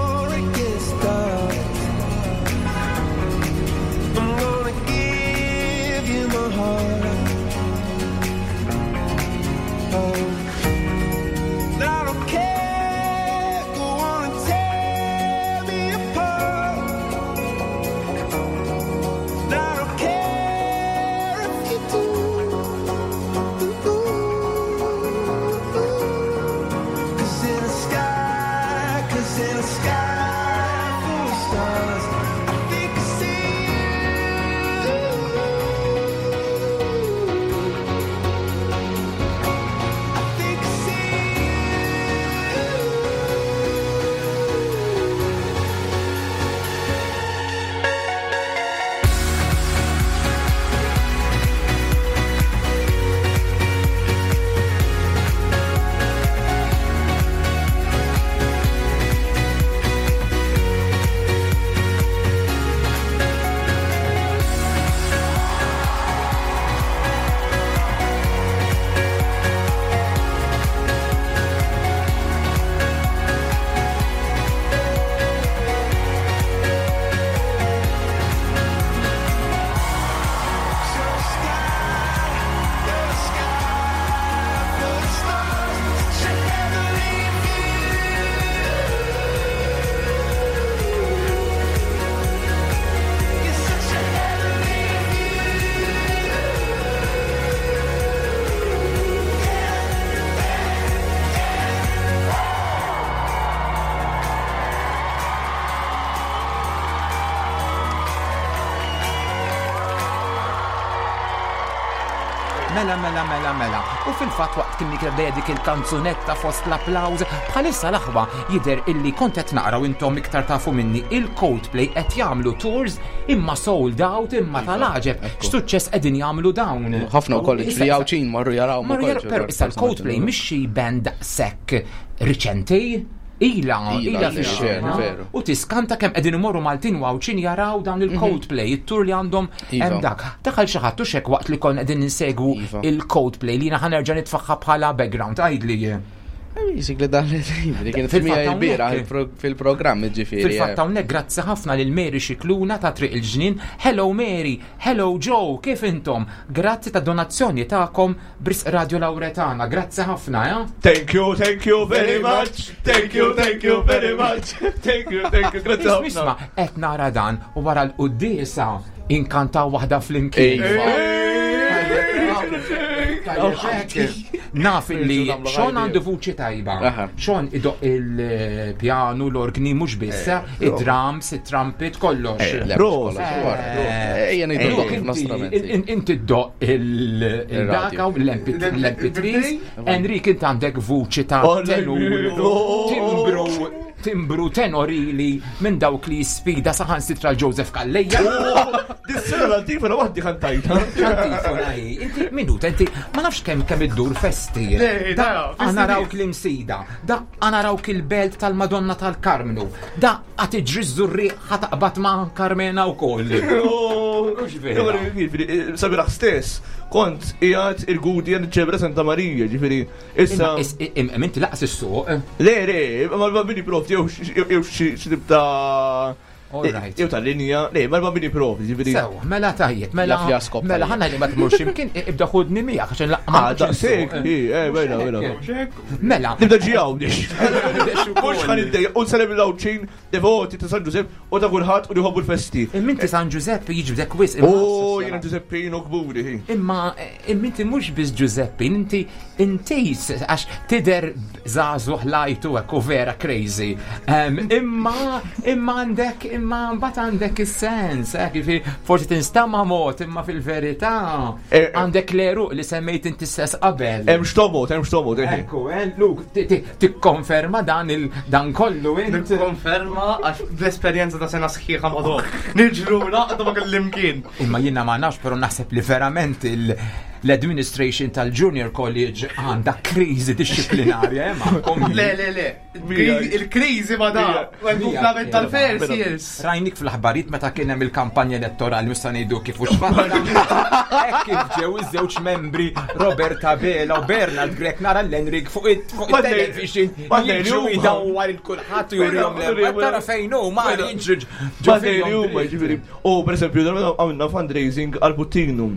Mela, mela, mela, mela. U fil-fatt waqt kien kien għaddejja dik il-kanzunetta fost l-applawż, bħalissa l-aħwa jidher illi kont qed naqra u intom iktar tafu minni il-Coldplay qed jagħmlu tours imma sold out imma Iva, tal-għaġeb. X'suċċess qegħdin jagħmlu dawn. Ħafna wkoll ġifieri Għawdxin marru jaraw Marru jaraw, però issa l-Coldplay mhix xi band daqshekk riċenti. Ila, ila fix-xena. U tiskanta kemm qegħdin imorru Maltin u Għawdxin jaraw dawn il-Coldplay, it-tur li għandhom Iva. hemm dak. Daħal xi ħadd u xek waqt li konna qegħdin insegwu Iva. il-Coldplay li jiena ħa nerġa' nitfaħħa bħala background. Għidli. Basically dan li li kienet Fil-fatt mija il-bira hawnhekk. fil-programm ġifieri. Fil-fatt hawnhekk grazzi ħafna lil Mary Xikluna ta' Triq il-Ġnien. Hello Mary, hello Joe, kif intom? Grazzi ta' donazzjoni tagħkom b'risq Radio Lauretana. Grazzi ħafna, eh? Thank you, thank you very much. Thank you, thank you very much. Thank you, thank you. Grazzi Isma, ħafna. isma, qed nara dan u wara l-quddiesa inkantaw waħda flimkien. Naf li Sean għandu vuċi tajba. Sean idoq il-pjanu, l-orgni, mhux biss, id-drums, it-trumpet, kollox. Ejja ngħidu Luke, ħafna strumenti. Inti ddoq il-daka u l-MP3s. Enrik, inti għandek vuċi ta' tenur, timbru, timbru tenorili minn dawk li sfida saħan sitra l-Joseph Calleja. Dis-sena l-antifona waħdi kantajta. Antifona hi. Inti minuta, inti ma nafx kemm kemm iddur festi. Le, Da da, festi għana rawk l-imsida, da għana rawk il-belt tal-Madonna tal-Karmnu, da għat iġri żurri ħataqbad ma' Karmena u koll. Sabiraħ stess, kont qiegħed il-gudi għan ċebra Santa Marija, ġifieri, issa. Imma inti laqas is-suq. Le, le, ma l-bambini prof, jew xi tip ta' Jew ta' linja, le, ma l-bambini prof, ġifieri. Sew, mela tajjeb, mela. Jaf jaskop Mela tajjeb. ħanna li ma tmurx imkien, ibda ħudni miegħek għax laqma. Ah, daqshekk, i, eh, mela, mela. Mela. Nibda ġijaw, nix. Mux ħan id-dej, un salem l-għawċin, devoti ta' San Giuseppe u ta' kulħadd u li jħobbu l-festi. Imma inti San Giuseppe jiġbdek wisq. Oh, jiena Giuseppino kburi. hi. Imma imma inti mhux biss Giuseppe, inti inti għax tider żagħżugħ lajtu hekk u vera crazy. Em, Imma imma għandek imma mbagħad għandek is-sens, eh, jiġifieri forsi tinstama' mod imma fil-verità Eh, eh. għandek l-eruq li semmejt inti stess qabel. Hemm xtomot, hemm xtomot, eh. Ekku, eh, Luke, tikkonferma dan il dan kollu int. Nikkonferma għax bl-esperjenza ta' sena sħiħa ma' dok. Niġru naqdu ma' kellimkien. Imma jiena ma nafx, però naħseb li verament il- l-administration tal-Junior College għandha kriżi disciplinarja, eh, magħkom. Le, le, le. Il-kriżi ma da. Il-kumplament tal-first years. Rajnik fl-aħbarijiet meta kien hemm il-kampanja elettorali mhux se ngħidu kif u x'fatta. Hekk kif ġew iż-żewġ membri Robert Abela u Bernard Grech nara l-Enrik fuq it-television jiġu jdawwar il-kulħadd u jurihom l Tara fejn hu ma jiġri ġo huma ġifieri. U pereżempju għamilna fundraising għal Puttinu.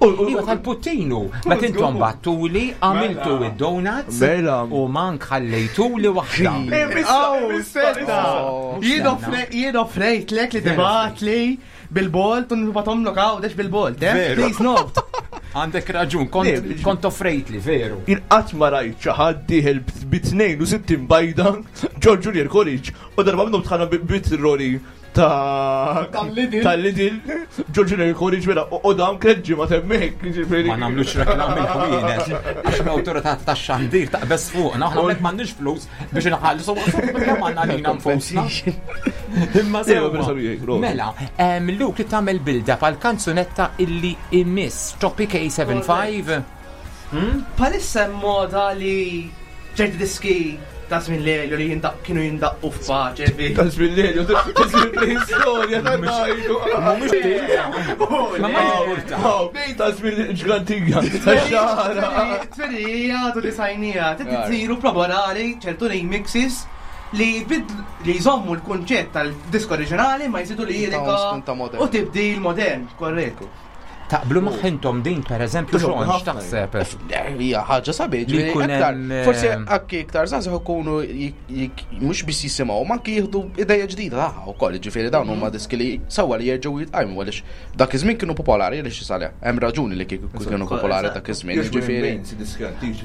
Iva tal-Puttinu, meta intom battuli għamiltu id-donuts Mela. u mank ħallejtuli waħda. Jien offrejtlek li tibatli bil-bolt u nibatomlok għawdex bil-bolt, eh? Please note. Għandek raġun, kont offrejtli, veru. Jien qatt ma rajt xi ħadd dieħel bi 62 bajda ġol Junior College u darba minnhom tħanna bit-roli ta' tal-Lidl ġol Junior College mela u dawn kien ġimgħa temmek. Ma nagħmlux reklam il-ħwienet għax l-awtorità tax-xandir taqbeż fuqna, aħna hawnhekk m'għandniex flus biex inħallsu kemm għandna lilna nfusna. Imma sew. Mela, Luke li tagħmel build-up għal kanzunetta illi imiss Topic A75. Palissa hemm moda li ċerti diski ta' żmien Lelio li jindaq kienu jindaqqu f'paċe. Ta' żmien Lelio, ta' żmien preistorja, ta' ngħidu. Mhumiex Ma ma jimpurta. Ta' żmien ġgantija, ta' xara. Tferija, tu li sajnija, titsiru proborali ċertu remixes li li jżommu l-kunċett tal-disk oriġinali ma jżidu lirika u tibdil modern, korrekt. Taqblu maħintom din per eżempju xogħol x'taħseb? Hija ħaġa sabiħ, Li jkun hemm, forsi anki iktar żgħażagħ ikunu mhux biss jisimgħu, ma anki jieħdu ideja ġdida tagħha wkoll, ġifieri dawn huma diski li sewwa li jerġgħu jitqajmu għaliex dak iż-żmien kienu popolari għaliex isale. Hemm raġuni li kieku kienu popolari dak iż-żmien, ġifieri.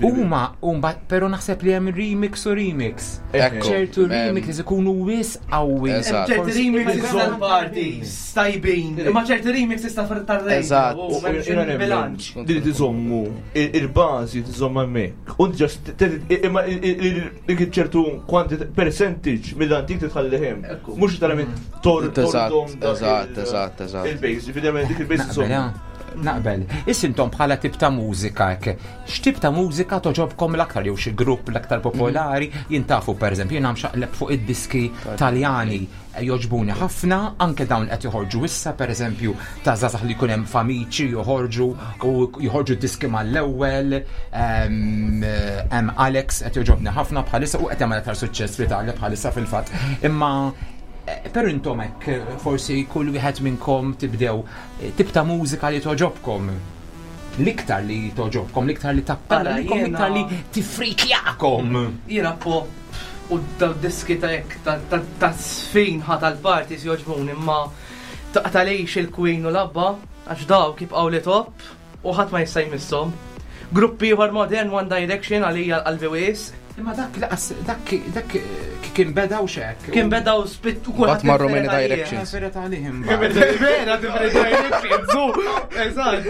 Huma huma però naħseb li hemm remix u remix. Ċertu remix ikunu wis qawwi. Ċerti remixes tal-parties tajbin, imma ċerti remixes ta' tar-radio. Eżatt. U m'hemmx bilanċ. Li tiżommu il-bażi tiżomm hemmhekk. U just imma dik ċertu quantity percentage mill-antik titħalli hemm. Mhux literalment tor Eżatt, eżatt, eżatt. Il-base, ġifieri dik il-base tiżomm. Naqbel. Issintom bħala tip ta' mużika hekk. X'tip ta' mużika toġobkom l-aktar jew xi grupp l-aktar popolari? Jien tafu pereżempju jiena mxaqleb fuq id-diski Taljani jogħġbuni ħafna, anke dawn qed joħorġu issa, pereżempju ta' żgħażagħ li jkun hemm famiċi joħorġu u joħorġu diski mal-ewwel, hemm Alex qed jogħġobni ħafna bħalissa u qed jagħmel aktar suċċess fl-Italja bħalissa fil-fatt. Imma eh, per intom hekk forsi kull wieħed minnkom tibdew eh, tip ta' mużika li toġobkom l-iktar li toġobkom, l-iktar li tappella, l-iktar li tifrikjakom. Jiena pop U daw diski ta' hekk ta' sfin ħa tal-parties jogħġbuni imma taqtalix il-Queen u l-Abba għax dawk jibqgħu li top u ħadd ma jista' jmisshom. Grupp ieħor modern One Direction għalija l-qalbi wisq. Imma dak laqas dak dak kien beda u xek. Kien beda u spit u kulħadd. marru many directions. Vera different directions, zu. Eżatt.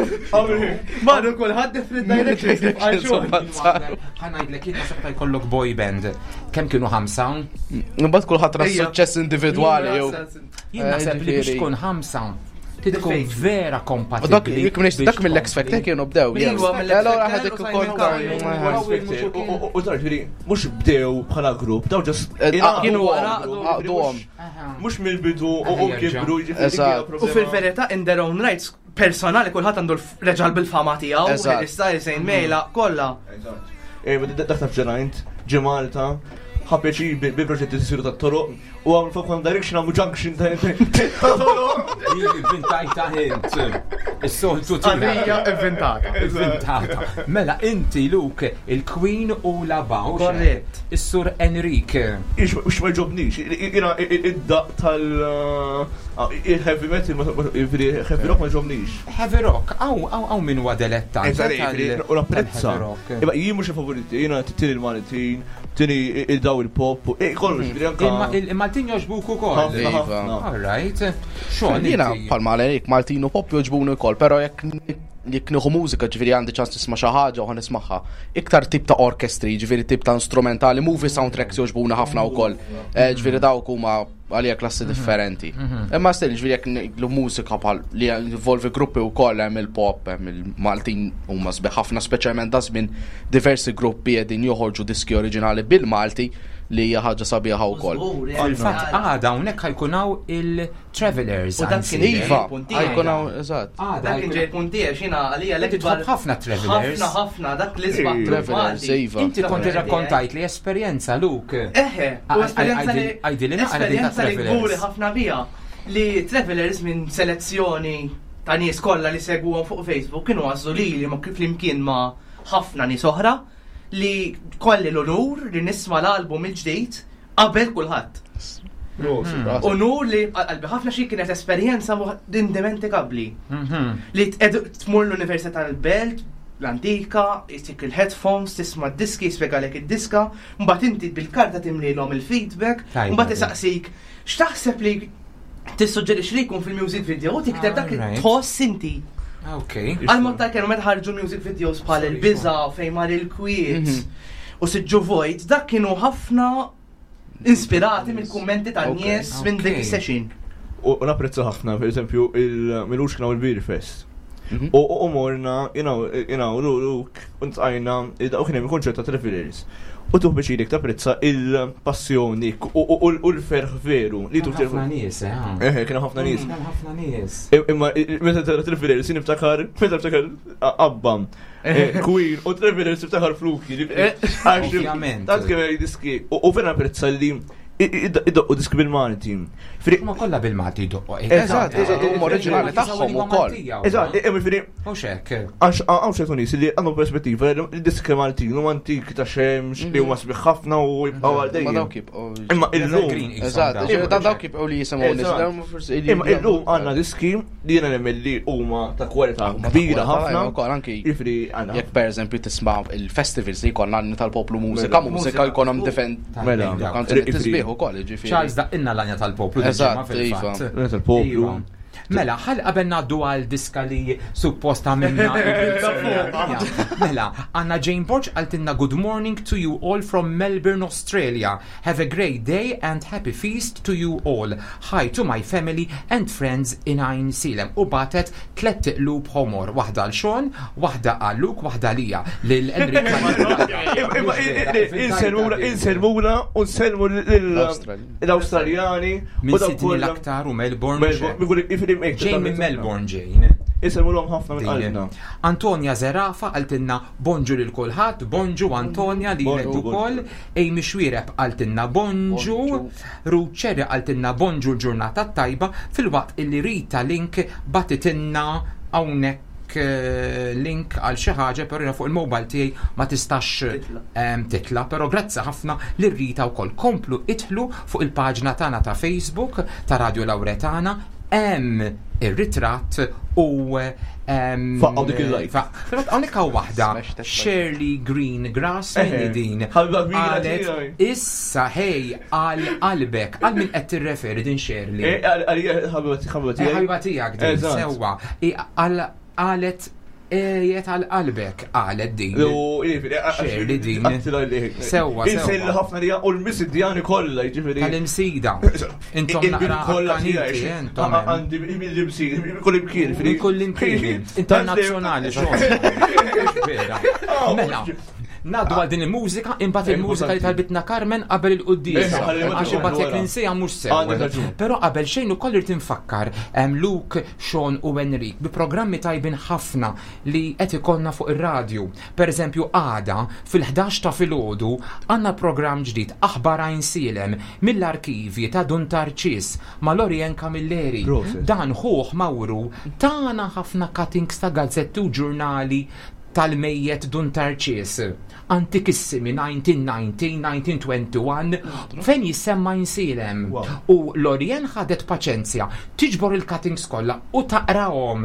Marru kulħadd different directions. Ħa ngħidlek jien naħseb meta jkollok boy band, kemm kienu ħamsa? Imbagħad kulħadd ra suċċess individwali jew. Jien naħseb li biex tkun ħamsa tkun vera kompatibbli. Dak mill-X Factor kienu bdew. Allora ħadek ukoll U ġifieri mhux bdew bħala grupp, daw ġast eh, kienu għaqduhom. Mhux mill-bidu u kibru jiġifieri. U fil-verità in their own rights personali kulħadd għandu l-reġal bil-fama tiegħu, Harry Styles, Zayn Mejla, kollha. Eh, dak taf ġenajnt, ġi Malta, ħapeċi bi proġetti siru ta' toroq u għamlu fuq One Direction għamlu junction ta' toroq. Inventajta int. Is-soltu tiegħek. Inventata. Inventata. Mela inti Luke, il-Queen u la Baw. Korrett. Is-Sur Enrique. Ix ma ġobnix, id-daq tal- Ah, il-heavy metal, heavy rock ma ġomnix. Heavy rock, għaw, għaw, għaw minn huwa delettant. U napprezza. Imma jien mhux favoriti, jiena tini l-Maltin, tini il-daw il-pop, eh, kollox. Mhm. Il-Maltin joġbuk ukoll. Iva. All right. Xogħol. Jiena bħal Malerik, Maltin u pop joġbuni wkoll, però jekk jekk nieħu mużika ġifieri għandi ċans nisma' xi ħaġa u nismagħha. Iktar tip ta' orkestri, ġifieri tip ta' instrumentali, movie soundtracks joġbuna ħafna wkoll. Eh, ġifieri dawk huma għalija klassi mhm. differenti. Mhm. Imma still ġifieri jekk ngħidlu mużika bħal li involvi gruppi wkoll hemm il-pop, hemm il-Maltin huma sbieħ ħafna speċjalment da żmien diversi gruppi qegħdin joħorġu diski oriġinali bil-Malti li hija ħaġa sabiħa wkoll. Fil-fatt għada hawnhekk ħajkun hawn il-Travelers. U dak kien Iva, ħajkun hawn eżatt. Dak kien ġej punt tiegħi x'jiena għalija l-ikbar. Ħafna Travelers. Ħafna ħafna dak li sbaħ Travelers, iva. Inti kont irrakkontajt li esperjenza Luke. Eħe, u esperjenza li esperjenza li kburi ħafna bija li Travelers minn selezzjoni ta' nies kollha li segwuhom fuq Facebook kienu għażlu lili ma kif flimkien ma' ħafna nies oħra li kolli l-onur li nisma' l-album il-ġdid qabel kulħadd. Hmm. Onur li qalbi ħafna xi kienet esperjenza indimentikabbli. Mhm. Li tmur l-Università tal-Belt, l-antika, jisik il-headphones, tisma' d-diski, jispjegalek id-diska, mbagħad inti bil-karta timlilhom il-feedback, mbagħad isaqsik x'taħseb li tissuġġerixxi li jkun fil-music video u tikteb dak li tħoss inti. Ok. Għal-mod ta' kienu meta ħarġu music videos bħal il-biża fejn mar il-kwiet mhm. u siġġu vojt, dak kienu ħafna inspirati mill-kummenti tan-nies minn dik is-session. U napprezza ħafna, per eżempju, il-milux kienu il-Beer Fest. Mhm. U morna, you know, you know, Luke, untqajna, u kien hemm il-konċert ta' Travelers. U tuħ biex idek tapprezza il-passjoni u l-ferħ veru li tuħ ħafna nies, eh. Eh, kien ħafna nies. Kien ħafna nies. Imma meta tara Travelers niftakar, meta niftakar Abba, eh, Queen u Travelers niftakar Fluki. Eh, Ovvjament. Tant kemm diski. U vera napprezza li Idoqqu diski bil-Malti. Ma kollha bil-Malti jdoqqu. Eżatt, eżatt, huma oriġinali tagħhom ukoll. Eżatt, jiġifieri. Mhux hekk. Għax hawn ċertu nies li għandhom perspettiva li diski Maltin huma antik ta' xemx li huma sbieħ ħafna u jibqgħu għal dejjem. Ma dawk jibqgħu. Imma illum. Eżatt, dawk jibqgħu li jisimgħu nies. Imma illum għandna diski li jiena nemmen li huma ta' kwalità kbira ħafna. Ukoll anki jekk pereżempju tisma' il-festivals li jkollna għandna tal-poplu mużika, mela. mużika jkollhom defend. Mela, kanzuni tisbieħ ukoll, jiġifieri. Charles daqqinna l-għanja tal-poplu. Eżatt, iva. Tal-poplu. Iva. Mela, ħal qabel ngħaddu għal diska li suppost għamilna. Mela, għandna Jane Borg qaltilna good morning to you all from Melbourne, Australia. Have a great day and happy feast to you all. Hi to my family and friends in Għajnsielem. U bagħtet tlett iqlub ħomor, waħda għal Sean, waħda għal Luke, waħda għalija lil Enrique. Insellmuna u nsellmu l-Awstraljani. Minn Sydney l-aktar u Melbourne. Ġejn minn Melbourne ġejn. Insellmulhom ħafna minn qalbna. Antonia Zerafa qaltilna bonġu lil kulħadd, bonġu Antonia lilek ukoll. Amy Xuereb qaltilna bonġu, Ruth Cherry qaltilna bonġu l-ġurnata t-tajba filwaqt illi Rita Link bagħtitilna hawnhekk link għal xi ħaġa però jiena fuq il-mobile tiegħi ma tistax titla' però grazzi ħafna lil Rita wkoll. Komplu idħlu fuq il-paġna tagħna ta' Facebook ta' Radio Lauretana hemm ir-ritratt u Faqqgħu dik il-like. Fil-fatt hawnhekk hawn waħda Shirley Green Grass min din. Qalet issa ħej għal qalbek għal min qed tirreferi din Shirley. Eh, ħabiba tiegħek. Ħabiba tiegħek din sewwa. Qalet Ejjet għal qalbek, qalet din. Xejli din. Sewwa. Insejli ħafna li u l-misidjani kollha, jiġifieri. Tal-imsida. Intom naqra kollha tiegħi. Għandi mill-imsida, minn kull imkien. Minn kull imkien. Internazzjonali xogħol. Mela, Naddu għal din il-mużika, imbagħad il-mużika li talbitna Carmen qabel il-quddiesa. Għax imbagħad jekk ninsejha mhux sew. Però qabel xejn ukoll irid infakkar Luke Sean u Enrique bi programmi tajbin ħafna li qed ikollna fuq ir-radju. Per eżempju għada fil-ħdax ta' filgħodu għandna programm ġdid Aħbar Għajnsielem mill-arkivji ta' Dun Tarċis ma' Lorien Camilleri. Dan ħuh Mawru tana ħafna cuttings ta' gazzetti u ġurnali tal-mejjet Dun Tarċis. Antikissimi 1919, 1921, fejn jissemma Għajnsielem. U Lorien ħadet paċenzja tiġbor il-cuttings kollha u taqrahom.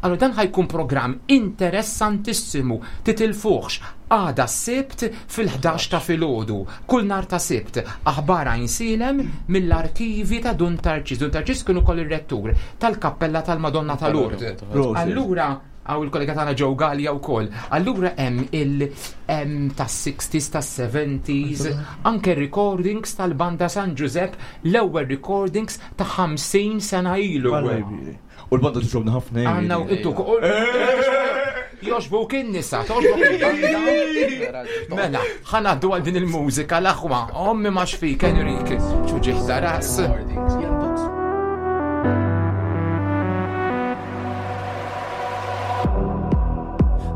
Allura dan ħa jkun programm interessantissimu, titilfuhx. Għada s-Sibt fil-ħdax ta' filgħodu, kull nhar ta' Sibt, aħbar Għajnsielem mill-arkivji ta' Dun Tarċis. Dun Tarċis kien ukoll ir-rettur tal-Kappella tal-Madonna ta' Lourdes. Allura Hawn il-kollega tagħna Joe Galea wkoll. Allura hemm il hemm tas-60s, tas-70s, anke recordings tal-Banda San Ġużepp, l-ewwel recordings ta' 50 sena ilu. U l-banda tixrobna ħafna. Għandna u intu Joġbuk in-nisa, toġbuk il-banda. Mela, ħanaddu għal din il-mużika l-aħwa. Ommi ma xfik, Enrique. Ċuġiħ ta' ras.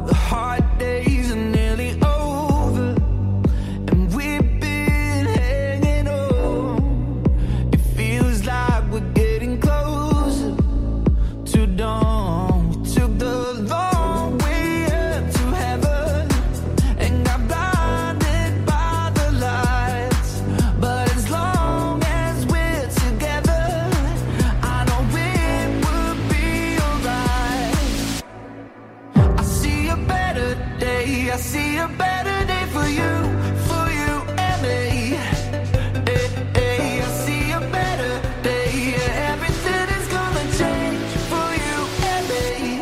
The hard days are nearly over, and we've been hanging on. It feels like we're getting closer to dawn. We took the long way up to heaven and got blinded by the lights. But as long as we're together, I know it will be alright. I see a better day. I see a better day for you, for you and me. Hey, hey, I see a better day. Yeah, everything is gonna change for you and me.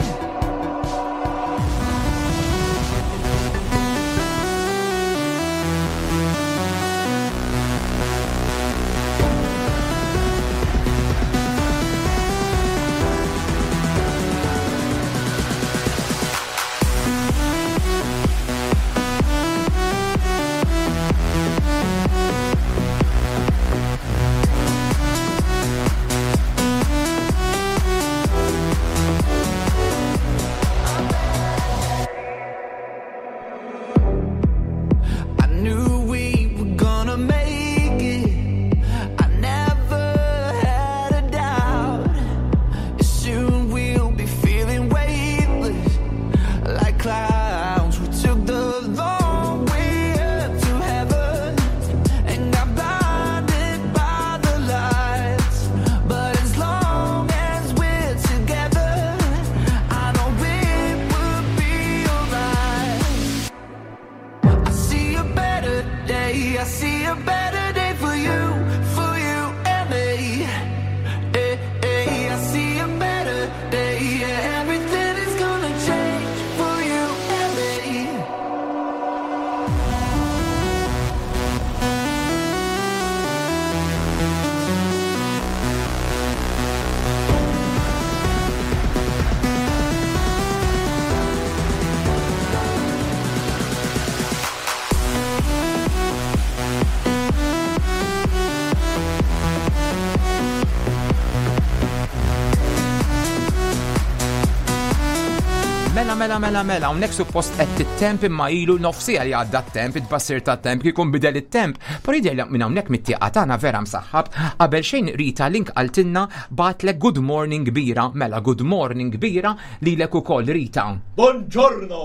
mela, mela, mela, hawnhekk suppost qed tittemp imma ilu nofsija li għadda t-temp, it-tbassir tat-temp, kieku nbidel it-temp. Però jidher li minn hawnhekk mit-tieqa tagħna vera msaħħab. Qabel xejn Rita Link qaltilna bagħatlek good morning kbira, mela good morning kbira lilek ukoll Rita. Buongiorno!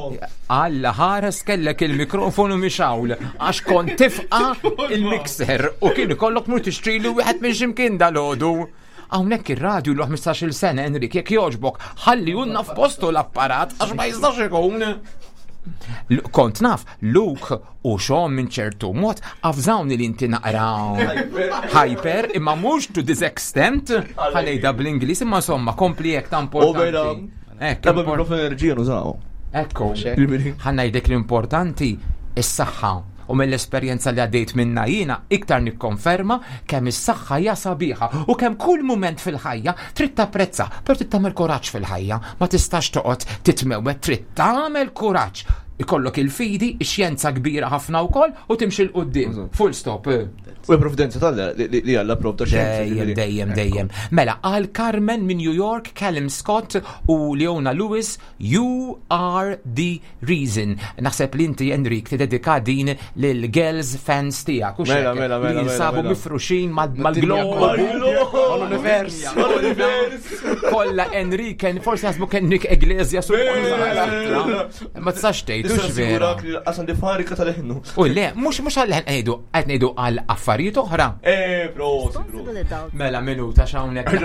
Alla ħares kellek il-mikrofonu mixawl għax kont tifqa il-mixer u kien ikollok mur tixtrilu wieħed minn x'imkien dalodu. Hawnhekk ir-radju l 15-il sena Enrik jekk jogħġbok ħalli unna f'postu l-apparat għax ma jistax ikun. Kont naf, Luke u Sean minn ċertu mod avżawni li inti naqra hyper imma mhux to this extent ħalejda bl-Ingliż imma insomma kompli hekk ta' importanti. Ekk, enerġija nużaw. Ekku, ħanajdek l-importanti is-saħħa u mill-esperjenza li għaddejt minna jiena iktar nikkonferma kemm is-saħħa hija sabiħa u kemm kull mument fil-ħajja trid tapprezza, però trid tagħmel kuraġġ fil-ħajja, ma tistax toqgħod titmewwet, trid tagħmel kuraġġ. Ikollok il-fidi, ix-xjenza kbira ħafna wkoll u timxi 'l quddiem. Full stop. U l-provvidenza tal li Alla provda xjenza. Dejjem, dejjem, dejjem. Mela, għal Carmen minn New York, Callum Scott u Leona Lewis, You are the reason. Naħseb li inti, Enrik, tidedika din lil girls fans tiegħek. U Mela, mela, mela, Li jinsabu mela. mifruxin mal-globu. Mal-univers. Mal-univers. Kolla Enrik, forsi jaħsbu Enrik Iglesias u Ma tistax tgħid, hux vera. Għasan di farika tal-ħnu. U le, mhux mhux għal ngħidu, qed ngħidu għal affarijiet oħra. Eh, prosi, prosi. Mela minuta x'hawnhekk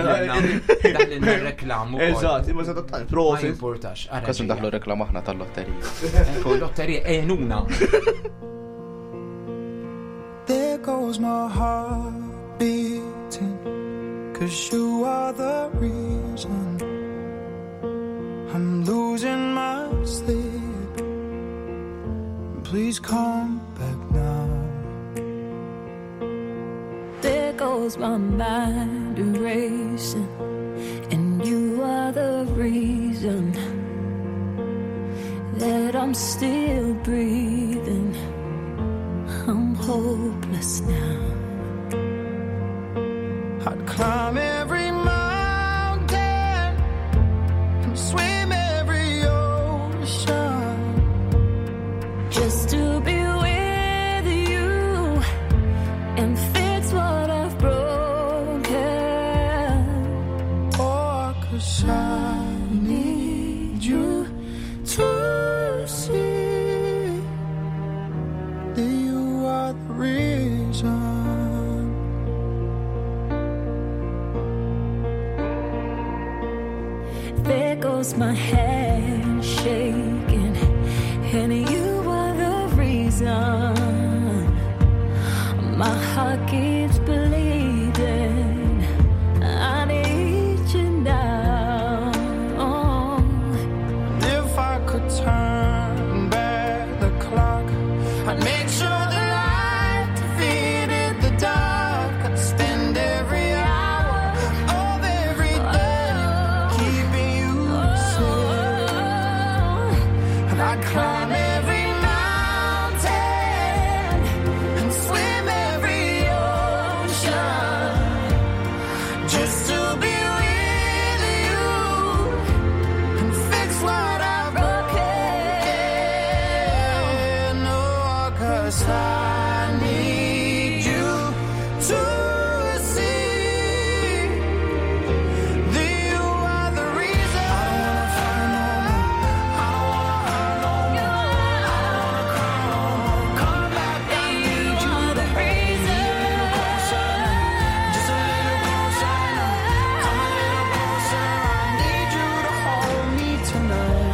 daħlilna reklam ukoll. Eżatt, imma sa tant Ma prosi. jimpurtax. ara Kasu ġejja. ndaħlu reklam aħna tal-lotterija. Ekku, lotterija għenuna. There goes my heart beating, cause you are the reason I'm losing my sleep. Please come back now. There goes my mind racing, and you are the reason that I'm still breathing. I'm hopeless now. I'd climb every mountain and swim every ocean. Just to be with you and fix what I've broken. Oh, cause I need you to see that you are the reason. There goes my hand shaking, and you are the reason. My heart keeps bleeding. I need you now. If I could turn back the clock, I'd make sure the light defeated the dark. I'd spend every hour of every day keeping you safe. And I'd climb every mountain and swim every ocean just to be with you and fix what I've broken. Oh, 'cause I need you to see that you are the reason. I don't wanna find no more. I don't wanna hurt no more. I don't wanna cry no more. Come back, I need you to hold me a little closer, just a little closer. Come a little closer. I need you to hold me tonight.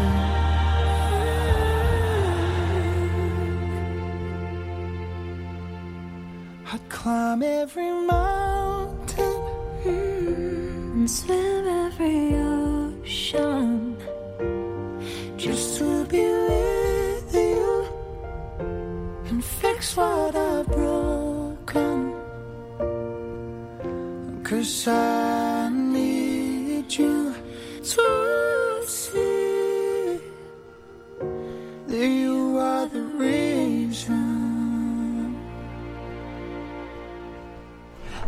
I'd climb every mountain. And swim every ocean just to be with you and fix what I've broken. Cause I need you to see that you are the reason.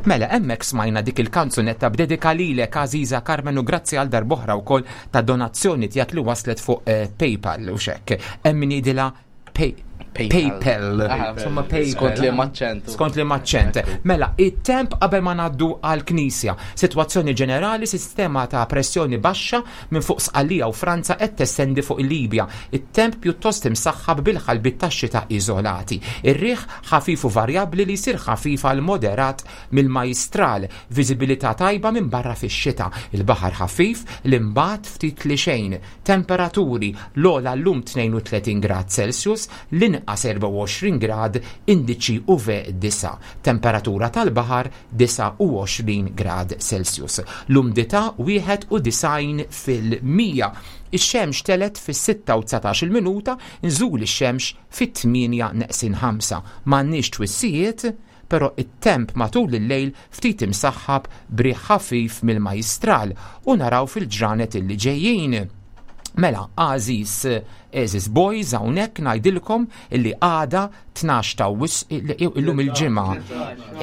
Mela, hemmhekk smajna dik il-kanzunetta b'dedika lilek għażiża Carmen u grazzi għal darb'oħra wkoll ta' donazzjoni tiegħek li waslet fuq eh, PayPal u xekk. Hemm min jgħidilha pay, PayPal. Insomma, PayPal. Skont li maċċent. Skont li maċċent. Mela, it-temp qabel ma ngħaddu għall-Knisja. Sitwazzjoni ġenerali, sistema ta' pressjoni baxxa minn fuq Sqallija u Franza qed testendi fuq il-Libja. It-temp pjuttost imsaħħab bil-ħalbiet tax-xita iżolati. Ir-riħ ħafif u varjabbli li jsir ħafif għal moderat mill-Majjistral, viżibilità tajba minbarra fix-xita, il-baħar ħafif li mbagħad ftit li xejn, temperaturi, l-ogħla llum 32 grad Celsius, l-inqas 24 grad, indiċi UV 9, temperatura tal-baħar 29 grad Celsius. L-umdità 91%. Ix-xemx telgħet fis-sitta u 19-il minuta, nżul ix-xemx fit-tmienja neqsin ħamsa. M'għandniex twissijiet, però it-temp matul il-lejl ftit imsaħħab b'riħ ħafif mill-Majjistral u naraw fil-ġranet illi ġejjin. Mela, għażiż għeżież boys hawnhekk ngħidilkom illi għada 12 ta' Awwissu illum il-Ġimgħa.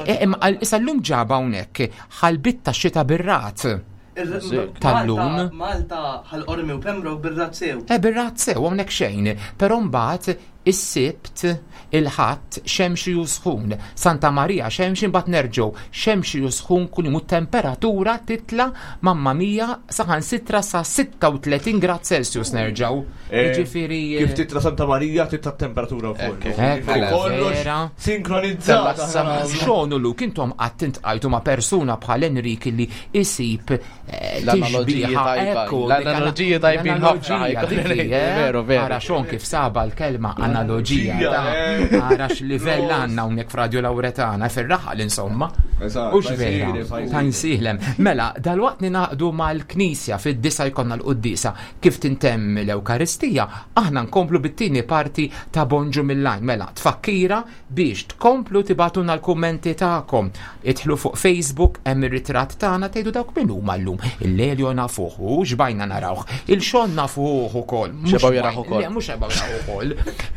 E, imma issa llum ġaba hawnhekk ħalbit ta' xita bir-ragħad. Tal-lum. Malta, Ħal Qormi u Pembroke bir-rat sew. Eh, bir-rat sew, hawnhekk xejn. Però mbagħad is-Sibt, il-Ħadd, xemxi u sħun. Santa Marija xemxi mbagħad nerġgħu xemxi u sħun kuljum u temperatura titla' mamma mia saħansitra sa 36 grad Celsius nerġgħu. Eh, Jiġifieri Kif titla' Santa Marija titla' temperatura wkoll. Vera. Sinkronizzat. Xogħol Luke intom qatt intqajtu ma' persuna bħal Enrik li isib eh, L-analogiji tajba. L-analogiji tajbin ħafna. Eh? Veru, veru. Ara xon kif saba l-kelma analogija. Ara x'livell għandna hawnhekk f'Radio Lauretana fir-raħal insomma. U x'vera. Ta' nsihlem. Mela, dalwaqt ninaqdu mal-Knisja fid-disa jkollna l-quddisa kif tintemm l-Ewkaristija, aħna nkomplu bit-tieni parti ta' Bonġu mill-Għajn. Mela, tfakkira biex tkomplu tibgħatulna l-kummenti tagħkom. Idħlu fuq Facebook hemm ir-ritratt tagħna tgħidu dawk min huma llum. Il-Lelio nafuh u xbajna narawh. Il-Xon nafuh ukoll. Xebgħu jaraħ ukoll. Le, mhux xebgħu jaraħ ukoll.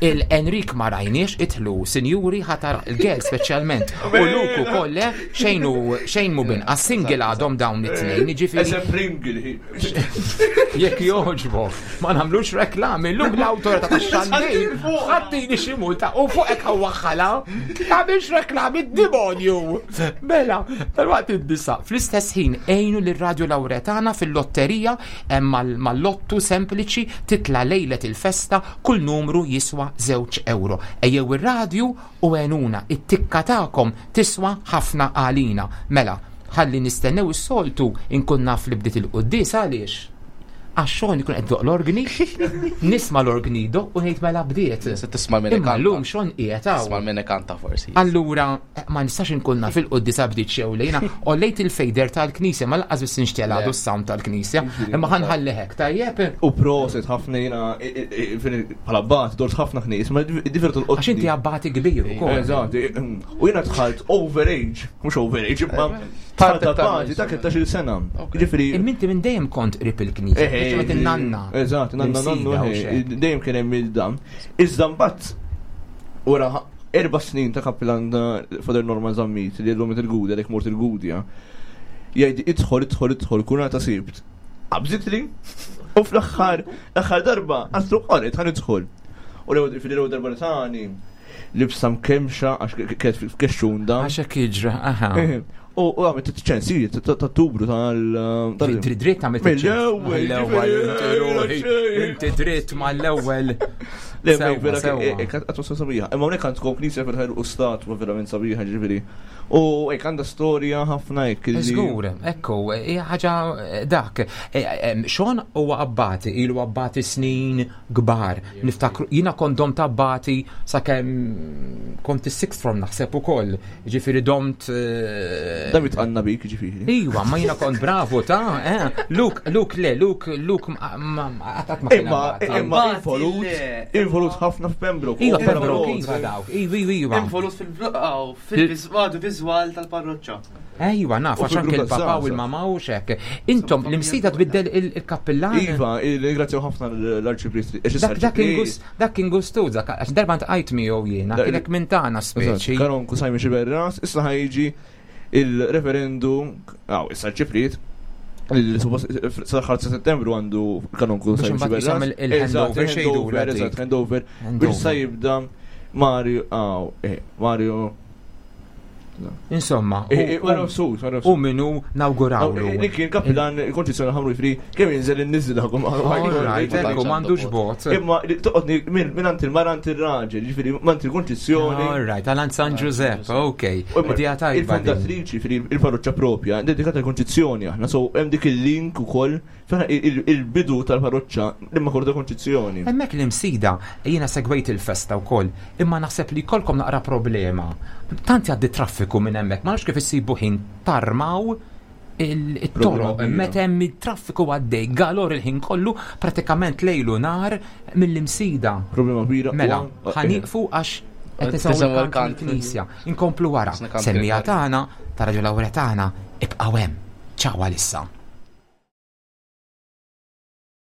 Il-Enrik ma rajniex idħlu sinjuri ħatar il-gel speċjalment. U Luke ukoll le xejn xejn mu binqas single għadhom dawn it-tnejn, jiġifieri. Jekk jogħġbok, ma nagħmlux reklami, llum l-awtorità tax-xandir ħattini xi multa u fuqek ħawaħħala. Tagħmilx reklami d-demonju. Mela, tal-waqt id-disa. Fl-istess ħin għinu lir-Radju Lawretana fil-lotterija hemm mal-lottu sempliċi titla' lejlet il-festa kull numru jiswa żewġ ewro. Ejjew ir-radju u għenuna, it-tikka tagħkom tiswa ħafna għalina. Mela, ħalli nistennew is-soltu inkun naf li bdiet il-quddiesa għaliex? Għax xogħol ikun qed doq l-orgni, nisma' l-orgni jdoq u ngħid mela bdiet. Se tisma' min Imma ikanta. llum xogħol qiegħed hawn. Tisma' min ikanta forsi. Allura, eh, ma nistax inkun naf il-quddiesa bdiet xew lejna, ollejt il-fejder tal-knisja, ma lanqas biss nixtiel għadu s-sound tal-knisja, imma ħanħalli hekk, tajjeb? U proset ħafna jiena bħala bat dort ħafna knies, ma divertu l-qoddi. Għax inti abbati kbir ukoll. Eżatt, u jiena dħalt overage, mhux overage, imma dħalt abbati ta' 13-il sena. Ġifieri. Imma inti minn dejjem kont qrib il-knisja, speċjalment in-nanna. Eżatt, nanna nannu, dejjem kien hemm il-dam. Iżda mbagħad wara erba' snin ta' kappilan Father Norman Zammit li llum il-Gudja, dik mort il-Gudja, jgħid idħol, idħol, idħol, kun ta' sibt. Qabżitli u fl-aħħar, l-aħħar darba, għastru qalet ħan idħol. U l-ewwel darba li tani, libsa mkemxa għax kienet f'kexxun da. Għax hekk jiġri, aha. U għamilt ċensijiet ta' tubru tal. Dritt dritt għamilt Mill-ewwel. Mill-ewwel, inti dritt mal-ewwel. Le, vera, għatmu sabiħa. Imma hawnhekk għandkom knisja fil-ħajr u statwa verament sabiħa ġifieri. U hekk għandha storja ħafna hekk. Żgur, ekku, hija ħaġa eh, dak. Eh, eh, Xon huwa abbati, ilu abbati snin kbar. Niftakru, jiena kont domt abbati sakemm kont is-sixth form naħseb ukoll. Ġifieri domt. Eh, Da mitqanna bik ġifieri. Iwa, ma jiena kont bravo ta' eh. Luke, Luke le, Luke, Luke ma qatt ma kien Imma abbati. imma involut, involut ħafna f'Pembroke. Iwa, Pembroke, iva dawk, iva, iva, iva. Involut fil-viżwal tal-parroċċa. Ejwa, naf, għax anke il-papa u l-mama u xek. Intom, l-imsida tbiddel il-kappillan. Iva, ringrazzjaw ħafna l-arċipriest. Dak kien gustu, dak, għax darba ntqajt miegħu jiena, kienek minn tagħna speċi. Karon kusajmi xiberras, issa ħajġi Il-referendu, għaw, issa ċifrit, sal-aħħar ta' Settembru għandu kanonku Biex imbagħad jisom il-handover xejdu Eżatt, handover. Biex sa jibda Mario, għaw, eh, Mario Insomma, eh, eh, u minu nawgurawlu. Li kien kapitan il-konċizzjoni ħamru jifri, kemm jinżel in-niżil Alright, m'għandux bot. Imma toqgħodni minn għand il-mara għand ir-raġel, ġifieri m'għand il-konċizzjoni. Alright, għal San Giuseppe, ok. Idea tajba. Il-fondatriċi il-parroċċa propja, dedikata l-konċizzjoni aħna, so hemm dik il-link ukoll il-bidu tal-parroċċa l-Immakulata Konċizzjoni. Hemmhekk l-Imsida, jiena segwejt il-festa wkoll, imma naħseb li jkollkom naqra problema. Tant jgħaddi traffiku minn hemmhekk, ma nafx kif issibu ħin tarmaw it-toroq meta hemm it-traffiku għaddej galor il-ħin kollu pratikament lejlu nar mill-Imsida. Problema kbira. Mela, ħaniqfu għax qed nisimgħu l-kant knisja. Inkomplu wara. Semmija tagħna, ta' Raġu Lawrja tagħna, ibqgħu hemm. Ciao għalissa.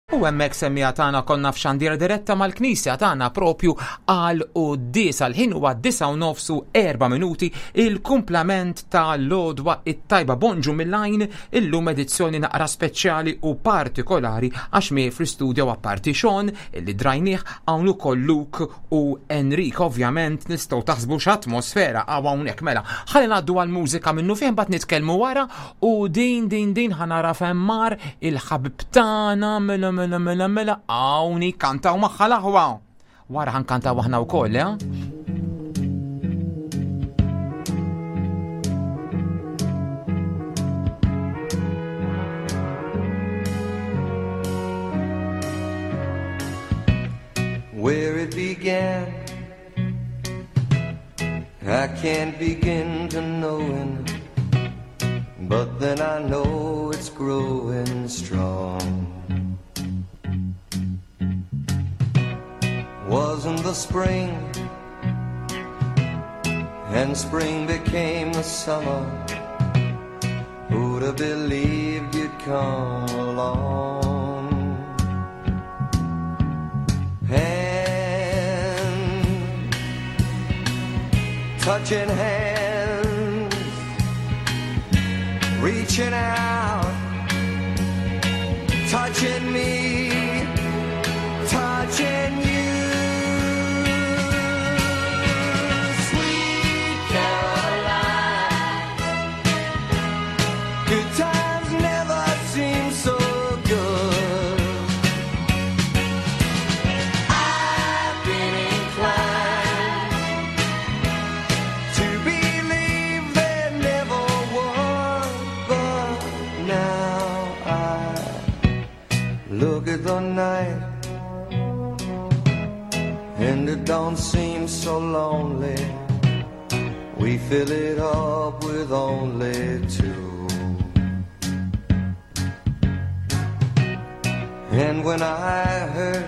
U hemmhekk semmiegħa tagħna konna f'xandira diretta mal-Knisja tagħna propju għal quddies għal ħin huwa 9:04 minuti il-kumplament ta' l-għodwa it-tajba bonġu mill-għajn illum edizzjoni naqra speċjali u partikolari għax miegħi fl-istudio apparti Sean illi drajnih hawn ukoll Luke u Enrique ovvjament nistgħu taħsbu x'atmosfera hawn hawnhekk mela ħalli ngħaddu għall-mużika minnu fih mbagħad nitkellmu wara U din, din, din ħa nara fejn mar il-ħabib tagħna mela mela mela mela hawn kantaw magħha l-aħwa. Wara ħankantaw aħna wkoll, eh? Where it began I can't begin to knowing But then I know it's growing strong Wasn't the spring And spring became the summer Who'd have believed you'd come along Hand Touching hands Reaching out Touching me Touching you Sweet Caroline Good times never seem so good I've been inclined To believe there never was But now I look at the night And it don't seem so lonely We fill it up with only two And when I hurt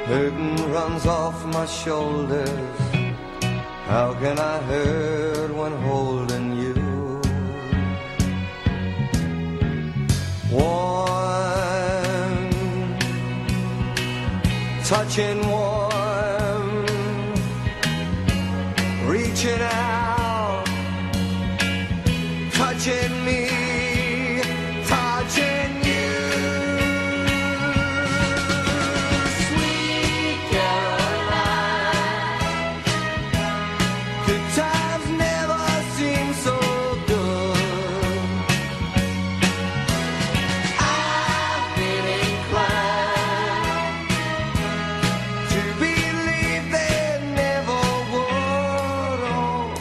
Hurting runs off my shoulders How can I hurt when holding you? Warm, touching warm, reaching out, touching me, touching you. Sweet Caroline, good times never seem so good. I've been inclined to believe they never would. Oh,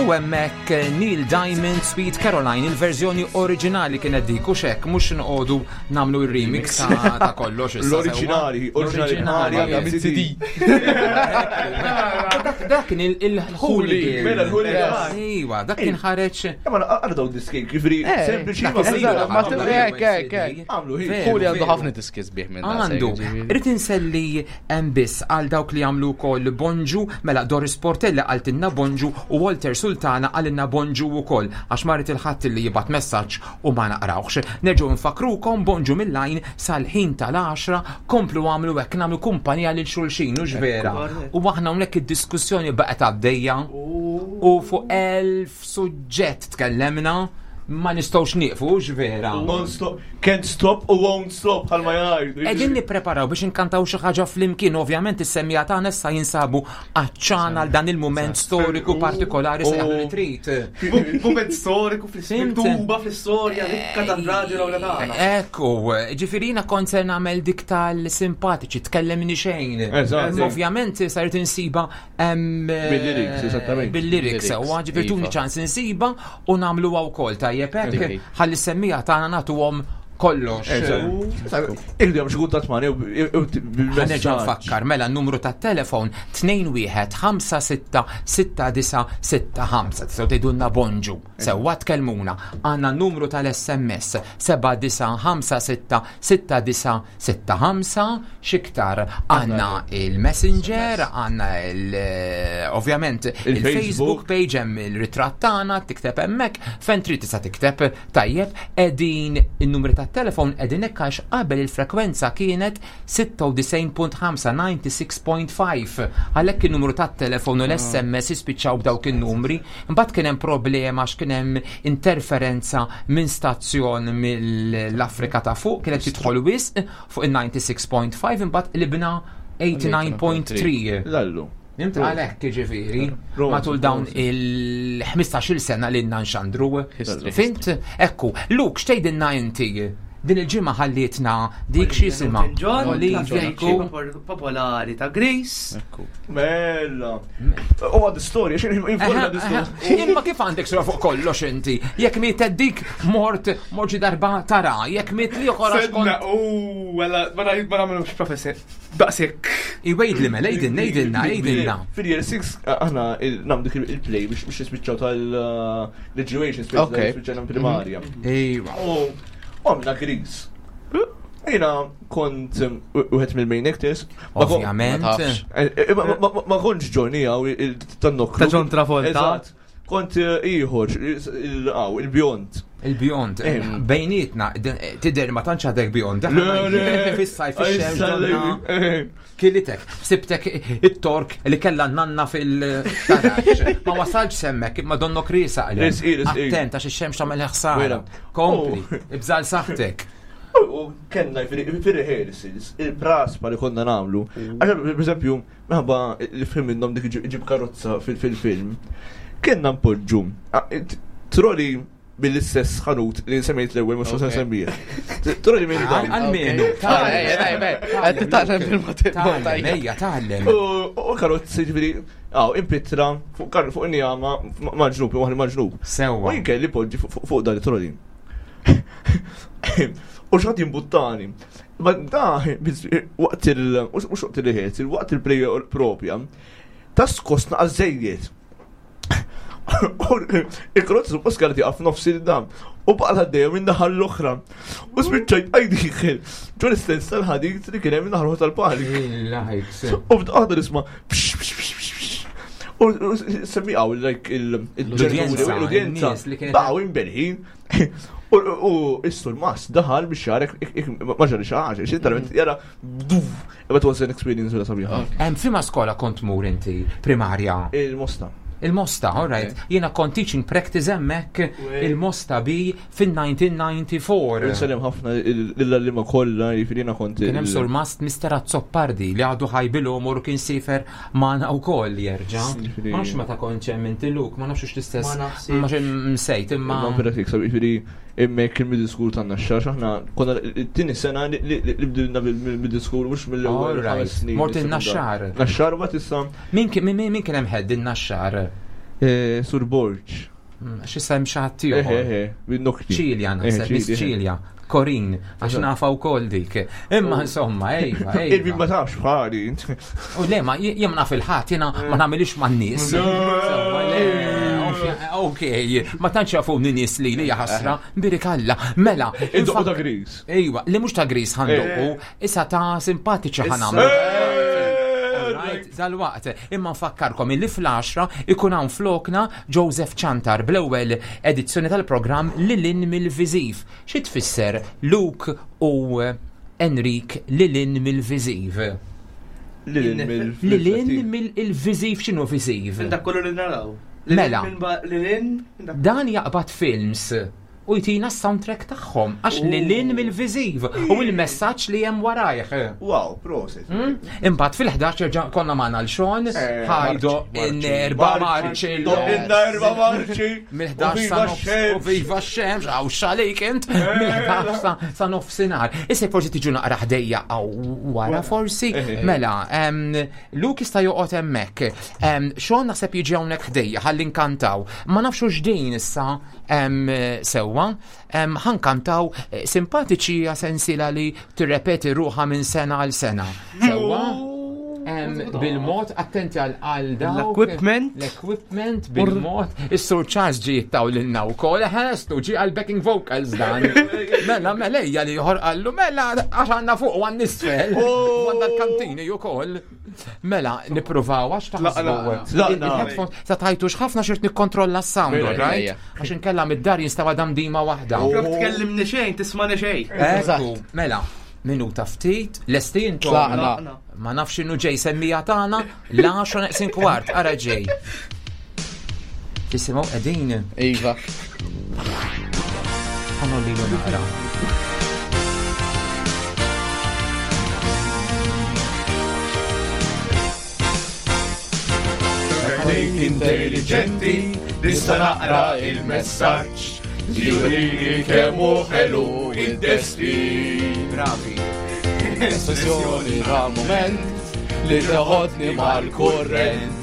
U hemmhekk Neil Diamond Sweet Caroline, il-verżjoni oriġinali kienet dik u xek, mhux nqogħdu nagħmlu r-remix ta' kollox issa. L-oriġinali, oriġinali għandha CD. Dak kien il-hooligan. Mela l-hooligan. Iwa, dak kien ħareġ. Ma għara daw diski, ġifieri Eh, sempliċi dak ma iż-żidu, Ma għamlu hekk, hekk, hekk. Għamlu hi. Veru, Hu li għandu veru. ħafna diski sbieħ minn dan, Għandu, ġifieri. rrid inselli hemm biss għal dawk li għamlu wkoll bonġu, mela Doris Portella qaltilna bonġu u Walter Sultana qalilna bonġu wkoll għax marit il-ħadd li jibgħat messaġġ u ma naqrawx. Nerġgħu nfakrukom bonġu mill-lajn sal-ħin tal-10 komplu għamlu hekk nagħmlu kumpanija lil xulxin u vera. U aħna hawnhekk id-diskussjoni baqgħet għaddejja u fuq elf suġġett tkellemna ma nistgħux nieqfu hux vera. Non stop, can't stop u won't stop bħalma jgħidu. Qegħdin nippreparaw biex inkantaw xi ħaġa flimkien, ovvjament is-semmija tagħna issa jinsabu għaċċana għal dan il-mument storiku partikolari se jagħmlu li trid. Moment storiku Fhimt? fl-tuba fl-istorja rikka tal-raġel u tagħna. Ekku, ġifirina kont se nagħmel dik tal-simpatiċi, tkellemni xejn. Eżatt. Imma Ovvjament saret insiba Bil-lyrics, eżattament. Bil-lyrics, sewwa, ġifieri tuni Iva. ċans insiba u nagħmluha wkoll tajjeb hekk Dik. ħalli semmija tagħna nagħtuhom kollox. Irridu jagħmlu xi kuntatt magħna jew Ħanerġa' nfakkar mela n-numru tat-telefon 21566965 tistgħu tgħidulna bonġu. Sewwa tkellmuna. Għandna n-numru tal-SMS 79566965 xiktar għandna il-Messenger, għandna il ovvjament il-Facebook page hemm il-ritratt tagħna tikteb hemmhekk fejn trid tista' tikteb tajjeb qegħdin in-numri tat-telefon qegħdin hekk għax qabel il-frekwenza kienet 96.5 96.5 għalhekk in-numru tat-telefon u l-SMS jispiċċaw b'dawk in-numri. Imbagħad kien hemm problema għax kien hemm interferenza minn stazzjon mill-Afrika ta' fuq kienet tidħol wisq fuq il-96.5 imbagħad qlibna 89.3. Lallu. Nimt għalhekk ġifieri Roma, matul dawn il-15-il sena li nxandru. History. Fint? Ekku, Luke, x'tgħidilna inti? Din il-ġimgħa ħallietna dik xi jisimha. John, Olivia klassiċi Ekku. popolari ta' Greece. Ekku. Mela. U għad storja, xejn informa Aha, l-istorja. aha. Imma kif għandek sura fuq kollox inti? Jekk miet dik mort mort xi darba tara, jekk miet li oħra Sedna, xkont. u, għalla, ma nagħmlux professi. Daqsik. Iwejdli mela, għidilna, għidilna, għidilna. Fil-year 6, aħna namdu dik il-play biex nispiċċaw tal-graduation, Ok. spiċċaw primarja. Ejwa. U għamna Grease. Jena kont wieħed mill-main actors. Ma kon- Ovvjament. Ma tafx. Eh, eh, Ma kontx Johnny għaw tan-nokru. Ta' John Travolta. Eżatt. Kont ieħor, għaw, il-bjond. Il-bjond, Eh. bejnietna, tidher ma tantx għadek bjond. Le, le. Fis-sajf ix-xemx donna. Eh, Kilitek, sibtek it-tork li kella nanna fil-tarax. Ma wasalx semmek, imma donnok risa għalem. Risqi, risqi. Attent, għax ix-xemx tagħmel ħsara. Vera. Kompli, Oh. ibżal saħtek. U kellna fil-rehearsals, il-praspa li konna namlu. Għaxa, per esempio, minħabba li film minnhom dik iġib karozza fil-film. Kellna npoġġu troli mill-istess ħanut li semmejt l-ewwel mhux se Ok. nsemmih. Troli minn dan. Għalmenu, Qed titgħallem bil-mod Tgħallem, ejja, tgħallem. U karozzi ġifieri, għaw, impitra fuq kar fuq injama maġnub, waħdi maġnub. U Sewwa. jien kelli poġġi fuq dan it-troli. U xħat jimbuttani. Ma da, waqt il, mux waqt il-rehearsal, waqt il-play propja, ta' skosna għazzejiet. U Il-karozza suppost kellha tieqaf nofs il-dam. U baqa għaddejja minn naħa l-oħra. U spiċċajt għajdiħel. Ġo l-istess tal-ħadid li kien hemm minn naħa tal-palik. Il-lajks. U bdaqqa nisma' px, px, px, px, px. U semmi għaw, like, L-udjenza, l-udjenza, n-nies li kienet- baqgħu imbelħin. U issu l-mas daħal biex jarek, ma ġarri xaħġa, xintalment jara, duf, it was an experience vera sabiħa. Hemm fima skola kont mur inti, primarja. Il-mosta. Il-Mosta, all right. Jiena kont teaching practice hemmhekk il-Mosta bi fin-1994. Nsellem ħafna l-allima kollha, jiġifieri jiena kont. Kien hemm surmast Mr. Azzopardi li għadu ħajbilu umur kien sifer magħna wkoll jerġa'. Jiġifieri- Ma nafx meta kont hemm inti Luke, ma nafx l-istess. Ma nafx. Ma msejt imma. Ma vera jiġifieri immek il-middle school tan naxxar, aħna konna t-tieni sena li bdilna bil-middle school mhux mill-ewwel All right. ħames snin. Mort in-Naxxar. Naxxar ma tista' Min kien min- min kien hemm head in-Naxxar? Eh, Sur Borġ. Hmm, x'issa hemm xi ħadd ieħor. Eh, eh, eh, Ċilja naħseb, Miss Ċilja. Korin, għax nafa u kol dik. Imma oh. insomma, ejva, ejva. Il ma tafx bħali. U le, ma jem naf il-ħat, jena ma namilix ma n-nis. Ok, ma tantx jafuni nies li li jaħasra, birik Alla. Mela. Id-doqqu ta' gris. Ejwa, li mhux ta' gris ħandoqqu, issa ta' simpatiċi ħanamlu. Dal-waqt, imma nfakkarkom illi fl-10 ikun hawn flokna Joseph Ċantar bl-ewwel edizzjoni tal-programm Lilin mill-Viżiv. Xi tfisser Luke u Enrik Lilin mill-Viżiv? Lilin mill-viżiv x'inhu viżiv? Dak kollu li naraw. Mela. Dan jaqbad films u jtina s-soundtrack tagħhom għax li lin mill-viżiv u l-messaġġ li hemm warajh. Wow, prosit. Hmm? Imbagħad fil-11 erġa' konna magħna l-Xon, eh, ħajdo in-erba marċi. In-erba marċi. Mill-11 sa nofs u viva x-xemx, għaw xalik int, eh. mill-11 sa nofsinhar. Issa forsi tiġu naqra ħdejja għaw wara forsi. Eh, mela, Luke jista' joqgħod hemmhekk. Xon naħseb jiġi hawnhekk ħdejja ħalli nkantaw. Ma nafx x'din issa Sewwa, ħankantaw eh, simpatiċi hija sensiela li tirrepeti ruħha minn sena għal sena. Sewwa? Bil-mod, attenti għal għal L-equipment. L-equipment, bil-mod. Is-Sur Charles ġi jittaw l-inna u kol, ħestu ġi għal backing vocals dan. Mela, mela, ejja li jħor għallu, mela, għax għanna fuq u għan nisfel. Oh. Għanna l-kantini u kol. Mela, nipruvaw għax taħsbu. Il-headphones, sa tajtux ħafna xirt nikkontrolla s-sound, right? Għax inkella mid-dar jinstawa dam dima waħda. Flok tkellimni xejn, tismani xejn. Ekku, mela, minuta ftit, lesti intom. Ma nafx innu ġej semmija tagħna, l-10 neqsin kwart, ara ġej. Tisimgħu qegħdin. Iva. Ħanolli lilu naqra. Dik intelligenti nista' naqra il-messaġġ li jurini kemm hu ħelu id-destin. Bravi. Espressjoni tal-moment li teħodni mal-kurrent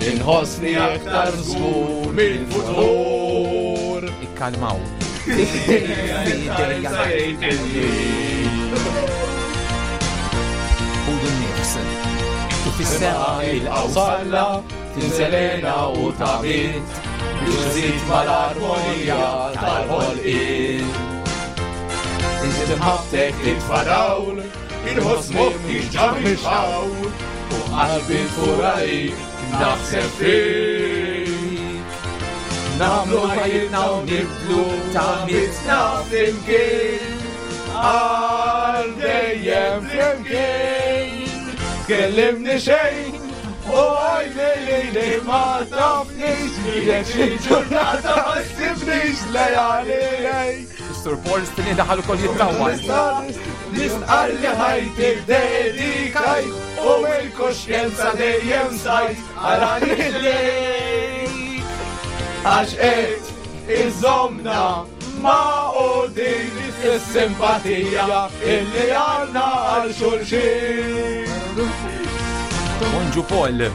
Inħossni aktar żgur mill-futur. Ikkalmaw. Ħudu n-nifs. Kif is-sema il-qawsalla tinselena u tabit biex żid mal-armonija tal-ħolqien. Inti timħabtek titfa' dawl, inħoss moħħi ġa mix-xawl u qalbi tfur għalik naħseb fik. Namlu ħajjitna u nibdlu ta' flimkien għal dejjem flimkien. Tkellimni xejn u għajli li li ma tafnix jekk xi ġurnata ma ssibnix lejali lejk. Sur Paul Stini daħal ukoll jittawwal. Nistqar li ħajti dedikajt u mill-kuxjenza dejjem sajt għal lejk. Għax qed iżomna ma' u din is-simpatija illi għandna għal xulxin. Bonġu Paul.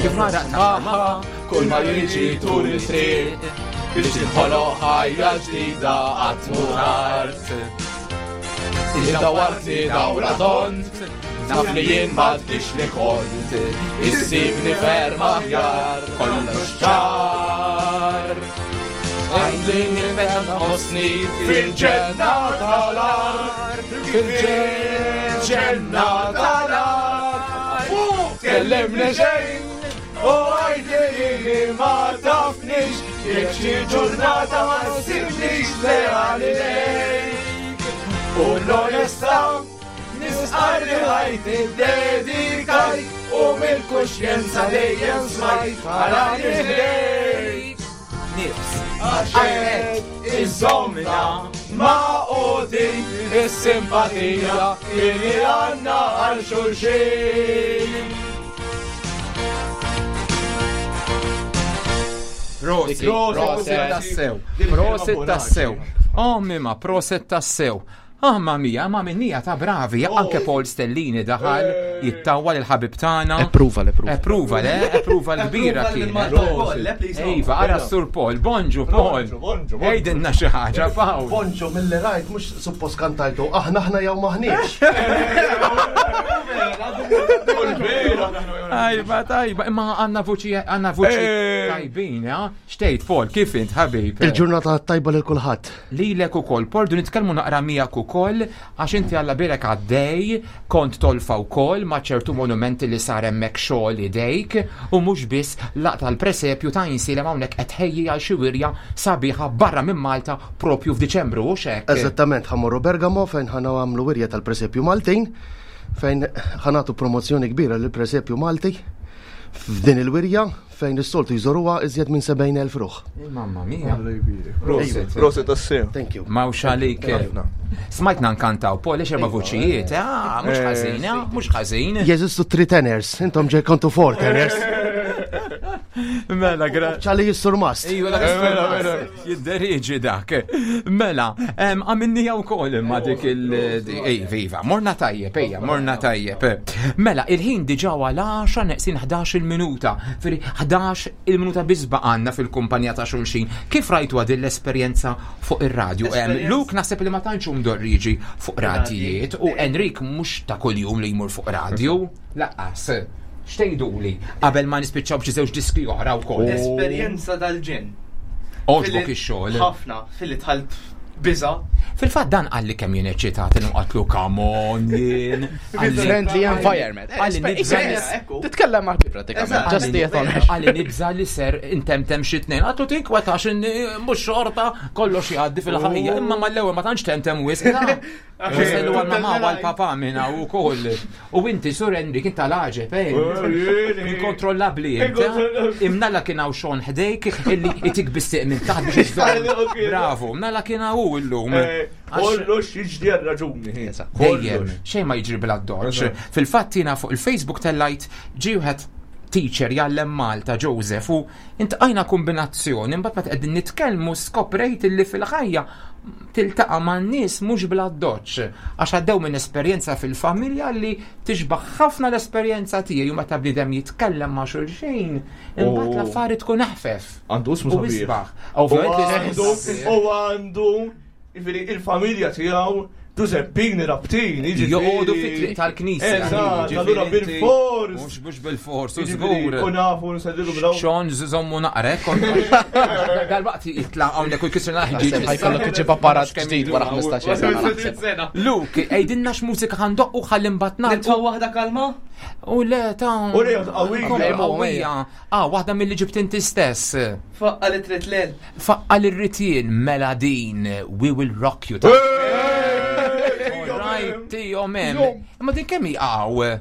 Kif nara Kull ma jiġi tul it-triq biex tinħoloq ħajja ġdida qatt mhu tard. Inti dawwartni dawra tond, naf li jien m'għadnix li kont, issibni ferm aħjar, kollox ċar. Għidli meta nħossni fil-ġenna tal-art, fil-ġenna tal-art. Tkellimni xejn U għidli li ma tafnix jekk xi ġurnata ma ssibnix leali lejk. U l-onestà nisqar li ħajti dedikajt u mill-kuxjenza dejjem smajt għala ħdejk. Nifs. Għax qed iżommna ma' din is-simpatija li għandna għal xulxin. Prosit, prosit tassew. Prosit tassew. Oh, mima, prosit tassew. Mamma mia, ma minnija ta' bravi, anke Paul Stellini daħal jittawwa lil ħabib tagħna. Approval, approval. Approval, eh? Approval kbira kienet. Iva, ara Sur Paul, bonġu Paul. Ejdinna xi ħaġa, Paul. Bonġu mill-li rajt mhux suppost kantajtu aħna aħna jew maħniex. Tajba, tajba, imma għanna vuċi għanna vuċi tajbin, ha? Xtejt, Paul, kif int, ħabib? Il-ġurnata tajba lil kulħadd. Lilek ukoll, Paul, du nitkellmu naqra miegħek ukoll għax inti Alla bierek għaddej, kont tolfa wkoll ma' ċertu monumenti li sar hemmhekk xogħol idejk u mhux biss laqta l-presepju ta' Għajnsielem hawnhekk qed tħejji għal xi wirja sabiħa barra minn Malta propju f'Diċembru, hux hekk? Eżattament, ħa mmorru Bergamo fejn ħa nagħmlu wirja tal-presepju Maltin fejn ħa nagħtu promozzjoni kbira lill-presepju Malti f'din il-wirja fejn is-soltu jżoruha iżjed minn 70,000 ruħ. Mamma mia. Prosit, prosit tassew. Thank you. Mawx għalik. Smajtna nkantaw, Paul, erba' vuċijiet, ah, mhux ħażin, ah, mhux ħażin. Jeżistu three tenors, intom ġej kontu four tenors. Mela, gra. ċali jissurmast. Ejju, dak mela, mela. Jidderieġi dak. Mela, għamilnija wkoll imma dik il- Ej, viva, morna tajjeb, ejja, morna tajjeb. Mela, il-ħin diġà għal 10 neqsin 11 il-minuta. Firi 11 il-minuta biss baqgħanna fil-kumpanija ta' xulxin. Kif rajtu din l-esperjenza fuq ir-radju? Luke naħseb li ma tantx hu mdorri jiġi fuq radijiet u Enrik mhux ta' kuljum li jmur fuq radju. Laqqas. X'tgħiduli qabel ma nispiċċaw b'xi żewġ diski oħra wkoll? Esperjenza tal-ġenn. Għoġbok ix-xogħol? Ħafna, filli dħalt biża. Fil-fatt dan qalli kemm jien eċċitat li qatlu come on jien. Friendly environment. Qalli nibża' Titkellem ma' pratikament. Just the honor. Qalli nibża' li ser intemtem xi tnejn. Għatlu tinkwetax inni mhux xorta kollox jgħaddi fil-ħajja. Imma mal-ewwel ma tantx temtem wisq. Ġisellu għal mamma u għal papa minna u koll. U inti, Sur Enrik, inta laġeb, eh? Inkontrollabli inti. Imnalla kien hawn xon ħdejk illi itik bissiq minn taħt biex iżżomm. Bravo, mnalla kien hawn illum. Eh, kollox jiġri għal raġuni. Dejjem, xejn ma jiġri bla doċ. Fil-fatt jiena fuq il-Facebook tellajt ġie wieħed teacher jgħallem Malta Joseph u intqajna kombinazzjoni mbagħad meta qegħdin nitkellmu skoprejt illi fil-ħajja tiltaqa' man-nies mhux bl-addoċċ, għax għaddew minn esperjenza fil-familja li tixbaħ ħafna l-esperjenza tiegħi u meta bniedem jitkellem ma' xulxin, imbagħad l-affari tkun eħfef. Għandu ismu sabiħ. U għandu jiġifieri il-familja tiegħu Giuseppini Rabtini, jiġifieri. Joqogħdu fit-triq tal-knisja. Eżatt, allura bil-fors. Mhux mhux bil-fors, u żgur. U nafu nsellilu bl Xon żommu naqrek, dal-waqt jitla' hawnhekk u jkissirna ħġieġ. Ħajkollok iġib apparat ġdid wara 15 sena. Sena. Luke, għidilna x'mużika ħandoqqu ħalli mbagħad nagħlqu. Nitfgħu waħda kalma? U le ta' U le qawwija. Qawwija. Ah, waħda milli ġibt inti stess. Faqqa li trid lel. Faqqa li rrid jien mela din We Will Rock You ta' Right, tijom hemm. Imma din kemm hi hawn?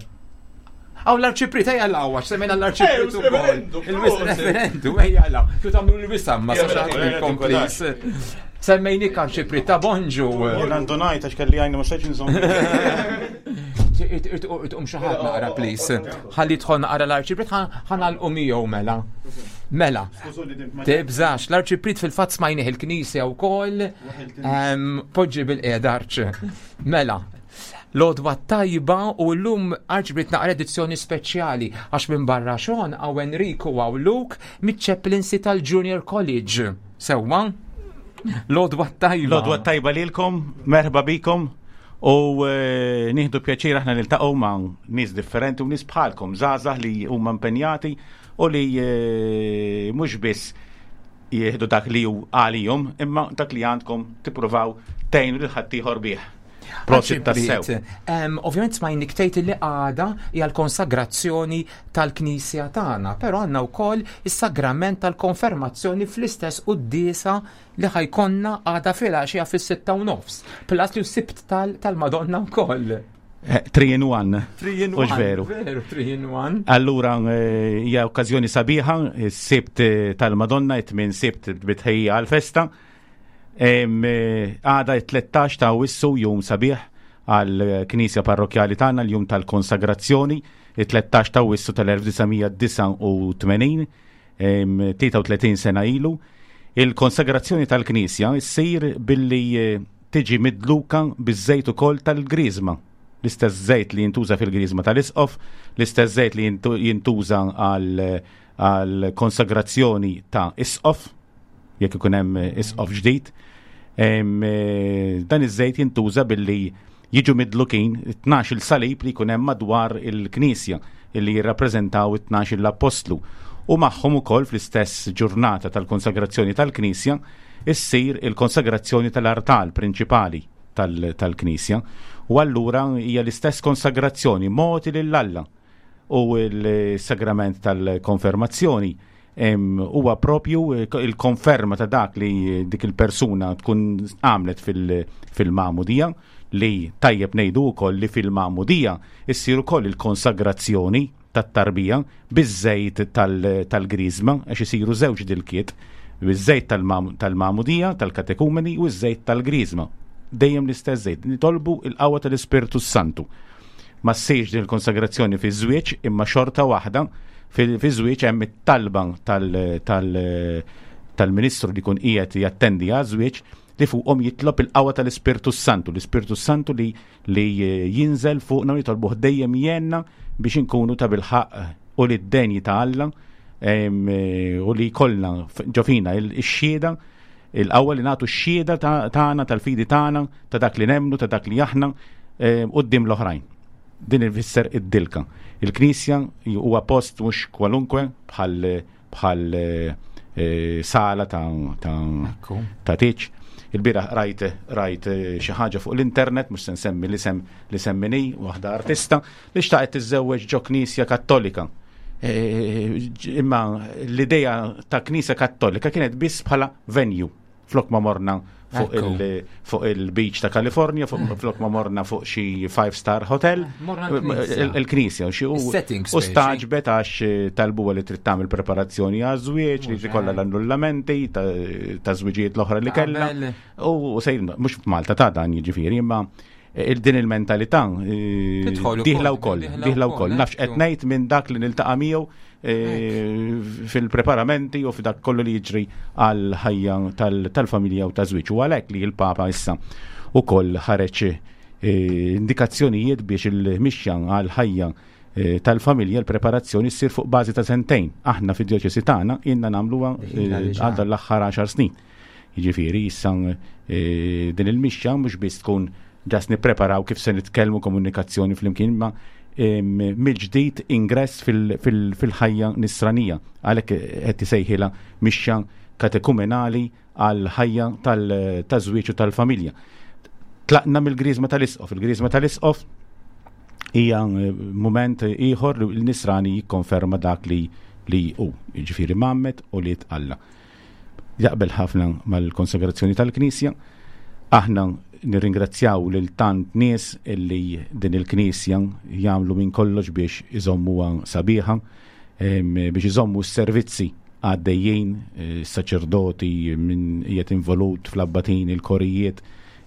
Għaw l-arċiprit, ejja l-għaw, għax semmejna l-arċiprit u kol. Il-referendu, ejja l-għaw. Kif tagħmlu l-wisam, ma sax għadkom, please. Semmejnik arċiprit ta' bonġu. Jien għandu ngħid għax kelli għajni ma stajtx inżomm. Itqum xi ħadd naqra, please. Ħalli jidħol naqra l-arċiprit, ħanalqu miegħu mela. Mela. Tibżax, l-arċiprit fil-fatt smajnih il-knisja wkoll. Poġġi bil-qiegħda arċ. Mela, L-għodwa t-tajba u llum Arċbrit naqra edizzjoni speċjali għax minn barra Sean hawn Enrico u hawn Luke miċ-chaplaincy tal-Junior College. Sewwa? L-għodwa t-tajba. L-għodwa t-tajba lilkom, merħba bikom u eh, nieħdu pjaċir aħna niltaqgħu ma' nies differenti u nies bħalkom, żgħażagħ li huma impenjati u li eh, mhux biss jieħdu dak li hu għalihom, imma dak li għandkom tippruvaw tgħinu lil ħaddieħor bih. Prosit tassew. Ovvjament smajnik tgħid li għada hija l-konsagrazzjoni tal-Knisja tagħna, però għandna wkoll is-sagrament tal-konfermazzjoni fl-istess quddiesa li ħajkonna għada filgħaxija fis-6:30. Plus li sibt tal-Madonna wkoll. 3 in 1. 3 in 1. Veru. Veru, 3 in 1. Allura eh, hija okkażjoni sabiħa, is-sibt eh, tal-Madonna, it-tmien sibt bitħejja għal-festa. Eh, għada it-13 ta' Awwissu jum sabiħ għal-Knisja Parrokjali tagħna l-jum tal-konsagrazzjoni, it-13 ta' Awwissu tal-1989, 33 sena ilu. Il-konsagrazzjoni tal-Knisja ssir billi eh, tiġi midluka biż-żejt ukoll tal-griżma. L-istess żejt li jintuża fil-griżma tal-isqof, l-istess żejt li jintuża għal konsagrazzjoni ta' isqof, jekk ikun hemm isqof ġdid. Dan iż-żejt jintuża billi jiġu midlukin 12 il salib li jkun hemm madwar il-knisja li jirrappreżentaw it-12 l-appostlu. U magħhom ukoll fl-istess ġurnata tal-konsagrazzjoni tal-knisja issir il-konsagrazzjoni tal-artal prinċipali tal-knisja. U allura hija l-istess konsagrazzjoni mogħti lil Alla u l-sagrament tal-konfermazzjoni huwa propju il-konferma ta' dak li dik il-persuna tkun għamlet fil-magħmudija li tajjeb ngħidu wkoll li fil-magħmudija issir ukoll il-konsagrazzjoni tat-tarbija biż-żejt tal-griżma għax isiru żewġ dilkiet biż-żejt tal-magħmudija tal-katekumeni u ż-żejt tal-griżma. Dejjem l-istess żejt. Nitolbu il-qawwa tal-Ispirtu Santu. Ma ssirx din il-konsagrazzjoni fiż-żwieġ imma xorta waħda fiż-żwieġ hemm it-talba tal-ministru li jkun qiegħed jattendi għaż-żwieġ li fuqhom jitlob il-qawwa tal-Ispirtu Santu, l-Ispirtu Santu li li jinżel fuqna u jitolbuh dejjem jenna biex inkunu ta' bilħaq u li d-denji ta' Alla u li jkollna ġo fina il-xhieda il-qawwa li nagħtu x-xhieda tagħna tal-fidi tagħna ta' dak li nemmnu ta' dak li aħna quddiem l-oħrajn. Din ifisser id-dilka. Il-Knisja huwa post mhux kwalunkwe bħal bħal eh, sala ta' ta' tiċ. Il-bieraħ rajt rajt eh, xi ħaġa fuq l-internet, mhux se nsemmi l-isem li semmini waħda artista li xtaqet tiżżewweġ ġo knisja kattolika. Eh, imma l-idea ta' knisja kattolika kienet biss bħala venue flok ma morna fuq il-beach ta' Kalifornja, mm. flok ma morna fuq xi five star hotel, eh, il-knisja, u staġbet għax eh, talbu li trid tagħmel preparazzjoni għaż-żwieġ, li tkollha l-annullamenti ta' żwiġijiet l-oħra li kellha. U sejr mhux f'Malta ta' dan jiġifieri, imma eh, din il-mentalità diħla wkoll, diħla wkoll. Nafx qed ngħid minn dak li niltaqa' miegħu E, fil-preparamenti u f'dak kollu li jiġri għal ħajja tal-familja u ta' żwieġ. U għalhekk li l-Papa issa ukoll ħareġ e, indikazzjonijiet biex il-mixja għal ħajja e, tal-familja l-preparazzjoni ssir fuq bażi ta' sentejn. Aħna fid-djoċesi tagħna ilna nagħmluha għal l-aħħar 10 snin. Jiġifieri issa din il-mixja mhux biss tkun ġas nippreparaw kif se nitkellmu komunikazzjoni flimkien ma mill-ġdid ingress fil-ħajja nisranija. Għalhekk qed isejħilha mixja katekumenali għal ħajja taż-żwieġ u tal-familja. Tlaqna mill-griżma tal-isqof. Il-griżma tal-isqof hija eh, mument ieħor li l-nisrani jikkonferma dak li li hu, jiġifieri mammet u li Alla. Jaqbel ħafna mal-konsagrazzjoni tal-Knisja. Aħna nirringrazzjaw lil tant nies illi din il-Knisja jagħmlu minn kollox biex iżommuha sabiħa, biex iżommu s-servizzi għaddejjin, eh, saċerdoti minn qiegħed involut fl-abbatin, il-korijiet,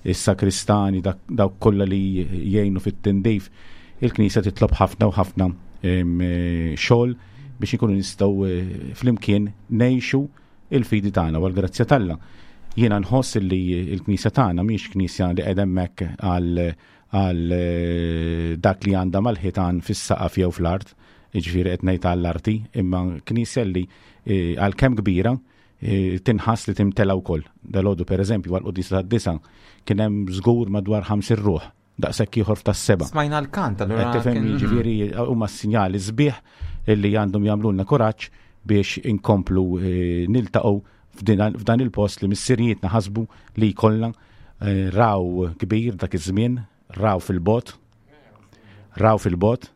is-sakristani, dawk kollha li jgħinu fit-tindif. Il-Knisja titlob ħafna u ħafna eh, xogħol biex ikunu nistgħu eh, flimkien ngħixu il-fidi tagħna u għall-grazzja t'Alla. Jiena nħoss li l-Knisja tagħna mhix Knisja li qed hemmhekk għal għal eh, dak li għandha mal-ħitan fis-saqaf jew fl-art, jiġifieri qed ngħid għall-arti, imma Knisja li eh, għalkemm kbira tinħass li timtela wkoll. Dalgħodu pereżempju għall-quddiesa tad-disa kien hemm żgur madwar 50 ruħ daqshekk ieħor f'tas-seba'. Smajna l-kant allura. Tifhem mhm. jiġifieri huma sinjali sbieħ illi għandhom jagħmlulna kuraġġ biex inkomplu eh, niltaqgħu f'dan il-post li missirijietna ħasbu li jkollna eh, raw kbir dak iż-żmien, raw fil-bot, raw fil-bot,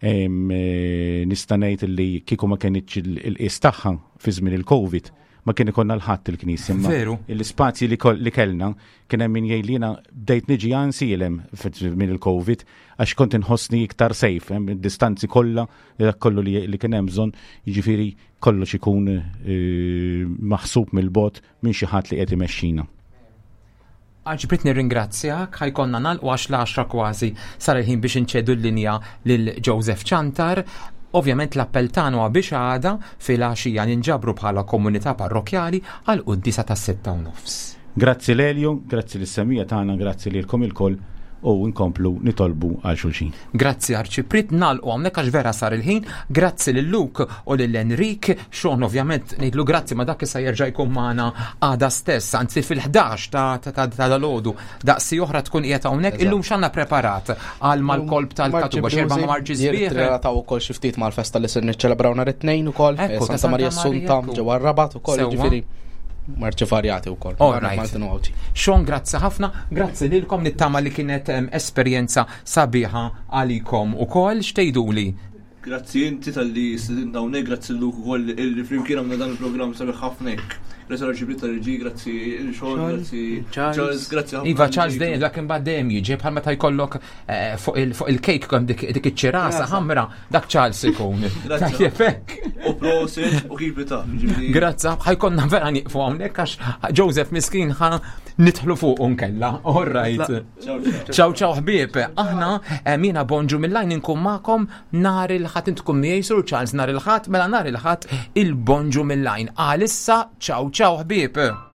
Eh, nista' ngħid li kieku ma kienx il-qies tagħha fi żmien il-Covid ma kien ikollna l-ħadd il-knisja. Veru. L-ispazji li kellna kien hemm min jgħid li jiena bdejt niġi għansielem minn il-Covid għax kont inħossni iktar safe, hemm id-distanzi kollha dak kollu li kien hemm bżonn, jiġifieri kollox ikun eh, maħsub mill-bot minn xi ħadd li qed imexxina. Arċipriet nirringrazzjak, ħajkonna nagħlqu għax l-għaxra kważi sar il-ħin biex inċedu l-linja lil Joseph Ciantar. Ovvjament l-appell tagħna huwa biex għada filgħaxija ninġabru bħala komunità parrokkjali għal quddiesa tas-6:30. Grazzi l-Elju, grazzi lis-semija tagħna, grazzi lilkom ilkoll u nkomplu nitolbu għal xulxin. Grazzi Arċipriet, nagħlqu hawnhekk għax vera sar il-ħin. Grazzi lil Luke u lil Enrik, Sean ovvjament ngħidlu grazzi ma dak issa jerġa' jkun magħna għada stess, anzi fil-11 ta' ta' dalgħodu. Daqsi oħra tkun qiegħed hawnhekk. Illum x'għandna preparat għal mal-kolb tal-Katuba xerba ma' marċi sbieħ. Jirrelataw ukoll xi ftit mal-festa li se niċċelebraw nhar it-tnejn ukoll, Santa Maria Assunta ġewwa r-Rabat ukoll, jiġifieri marċi varjati wkoll. All right. Sean, grazzi ħafna, grazzi lilkom nittama li kienet esperjenza sabiħa għalikom ukoll x'tgħiduli. Grazzi inti talli stedinna hawnhekk, grazzi Luke ukoll illi flimkien għamilna dan il-programm sabiħ ħafna hekk. Grazzi l-Arċipriet tal-Reġi, grazzi il-Sean, grazzi Charles, grazzi ħafna. Iva Charles dejjem dak imbagħad dejjem jiġi bħal meta jkollok eh, fuq il-kejk kemm dik iċ-ċirasa ħamra dak Charles ikun. Tajjeb hekk. U prosit u keep it up. Grazzi, ħajkonna vera nieqfu hawnhekk għax Joseph miskin ħa nidħlu fuq nkella. All right. Ciao ciao ħbieb, aħna eh, mina bonġu mill-lajn inkun magħkom nhar il-ħadd intkom miegħi Sur Charles nhar il-ħadd, mela nhar il-ħadd il-bonġu mill-lajn. Għalissa ciao ciao ħbieb.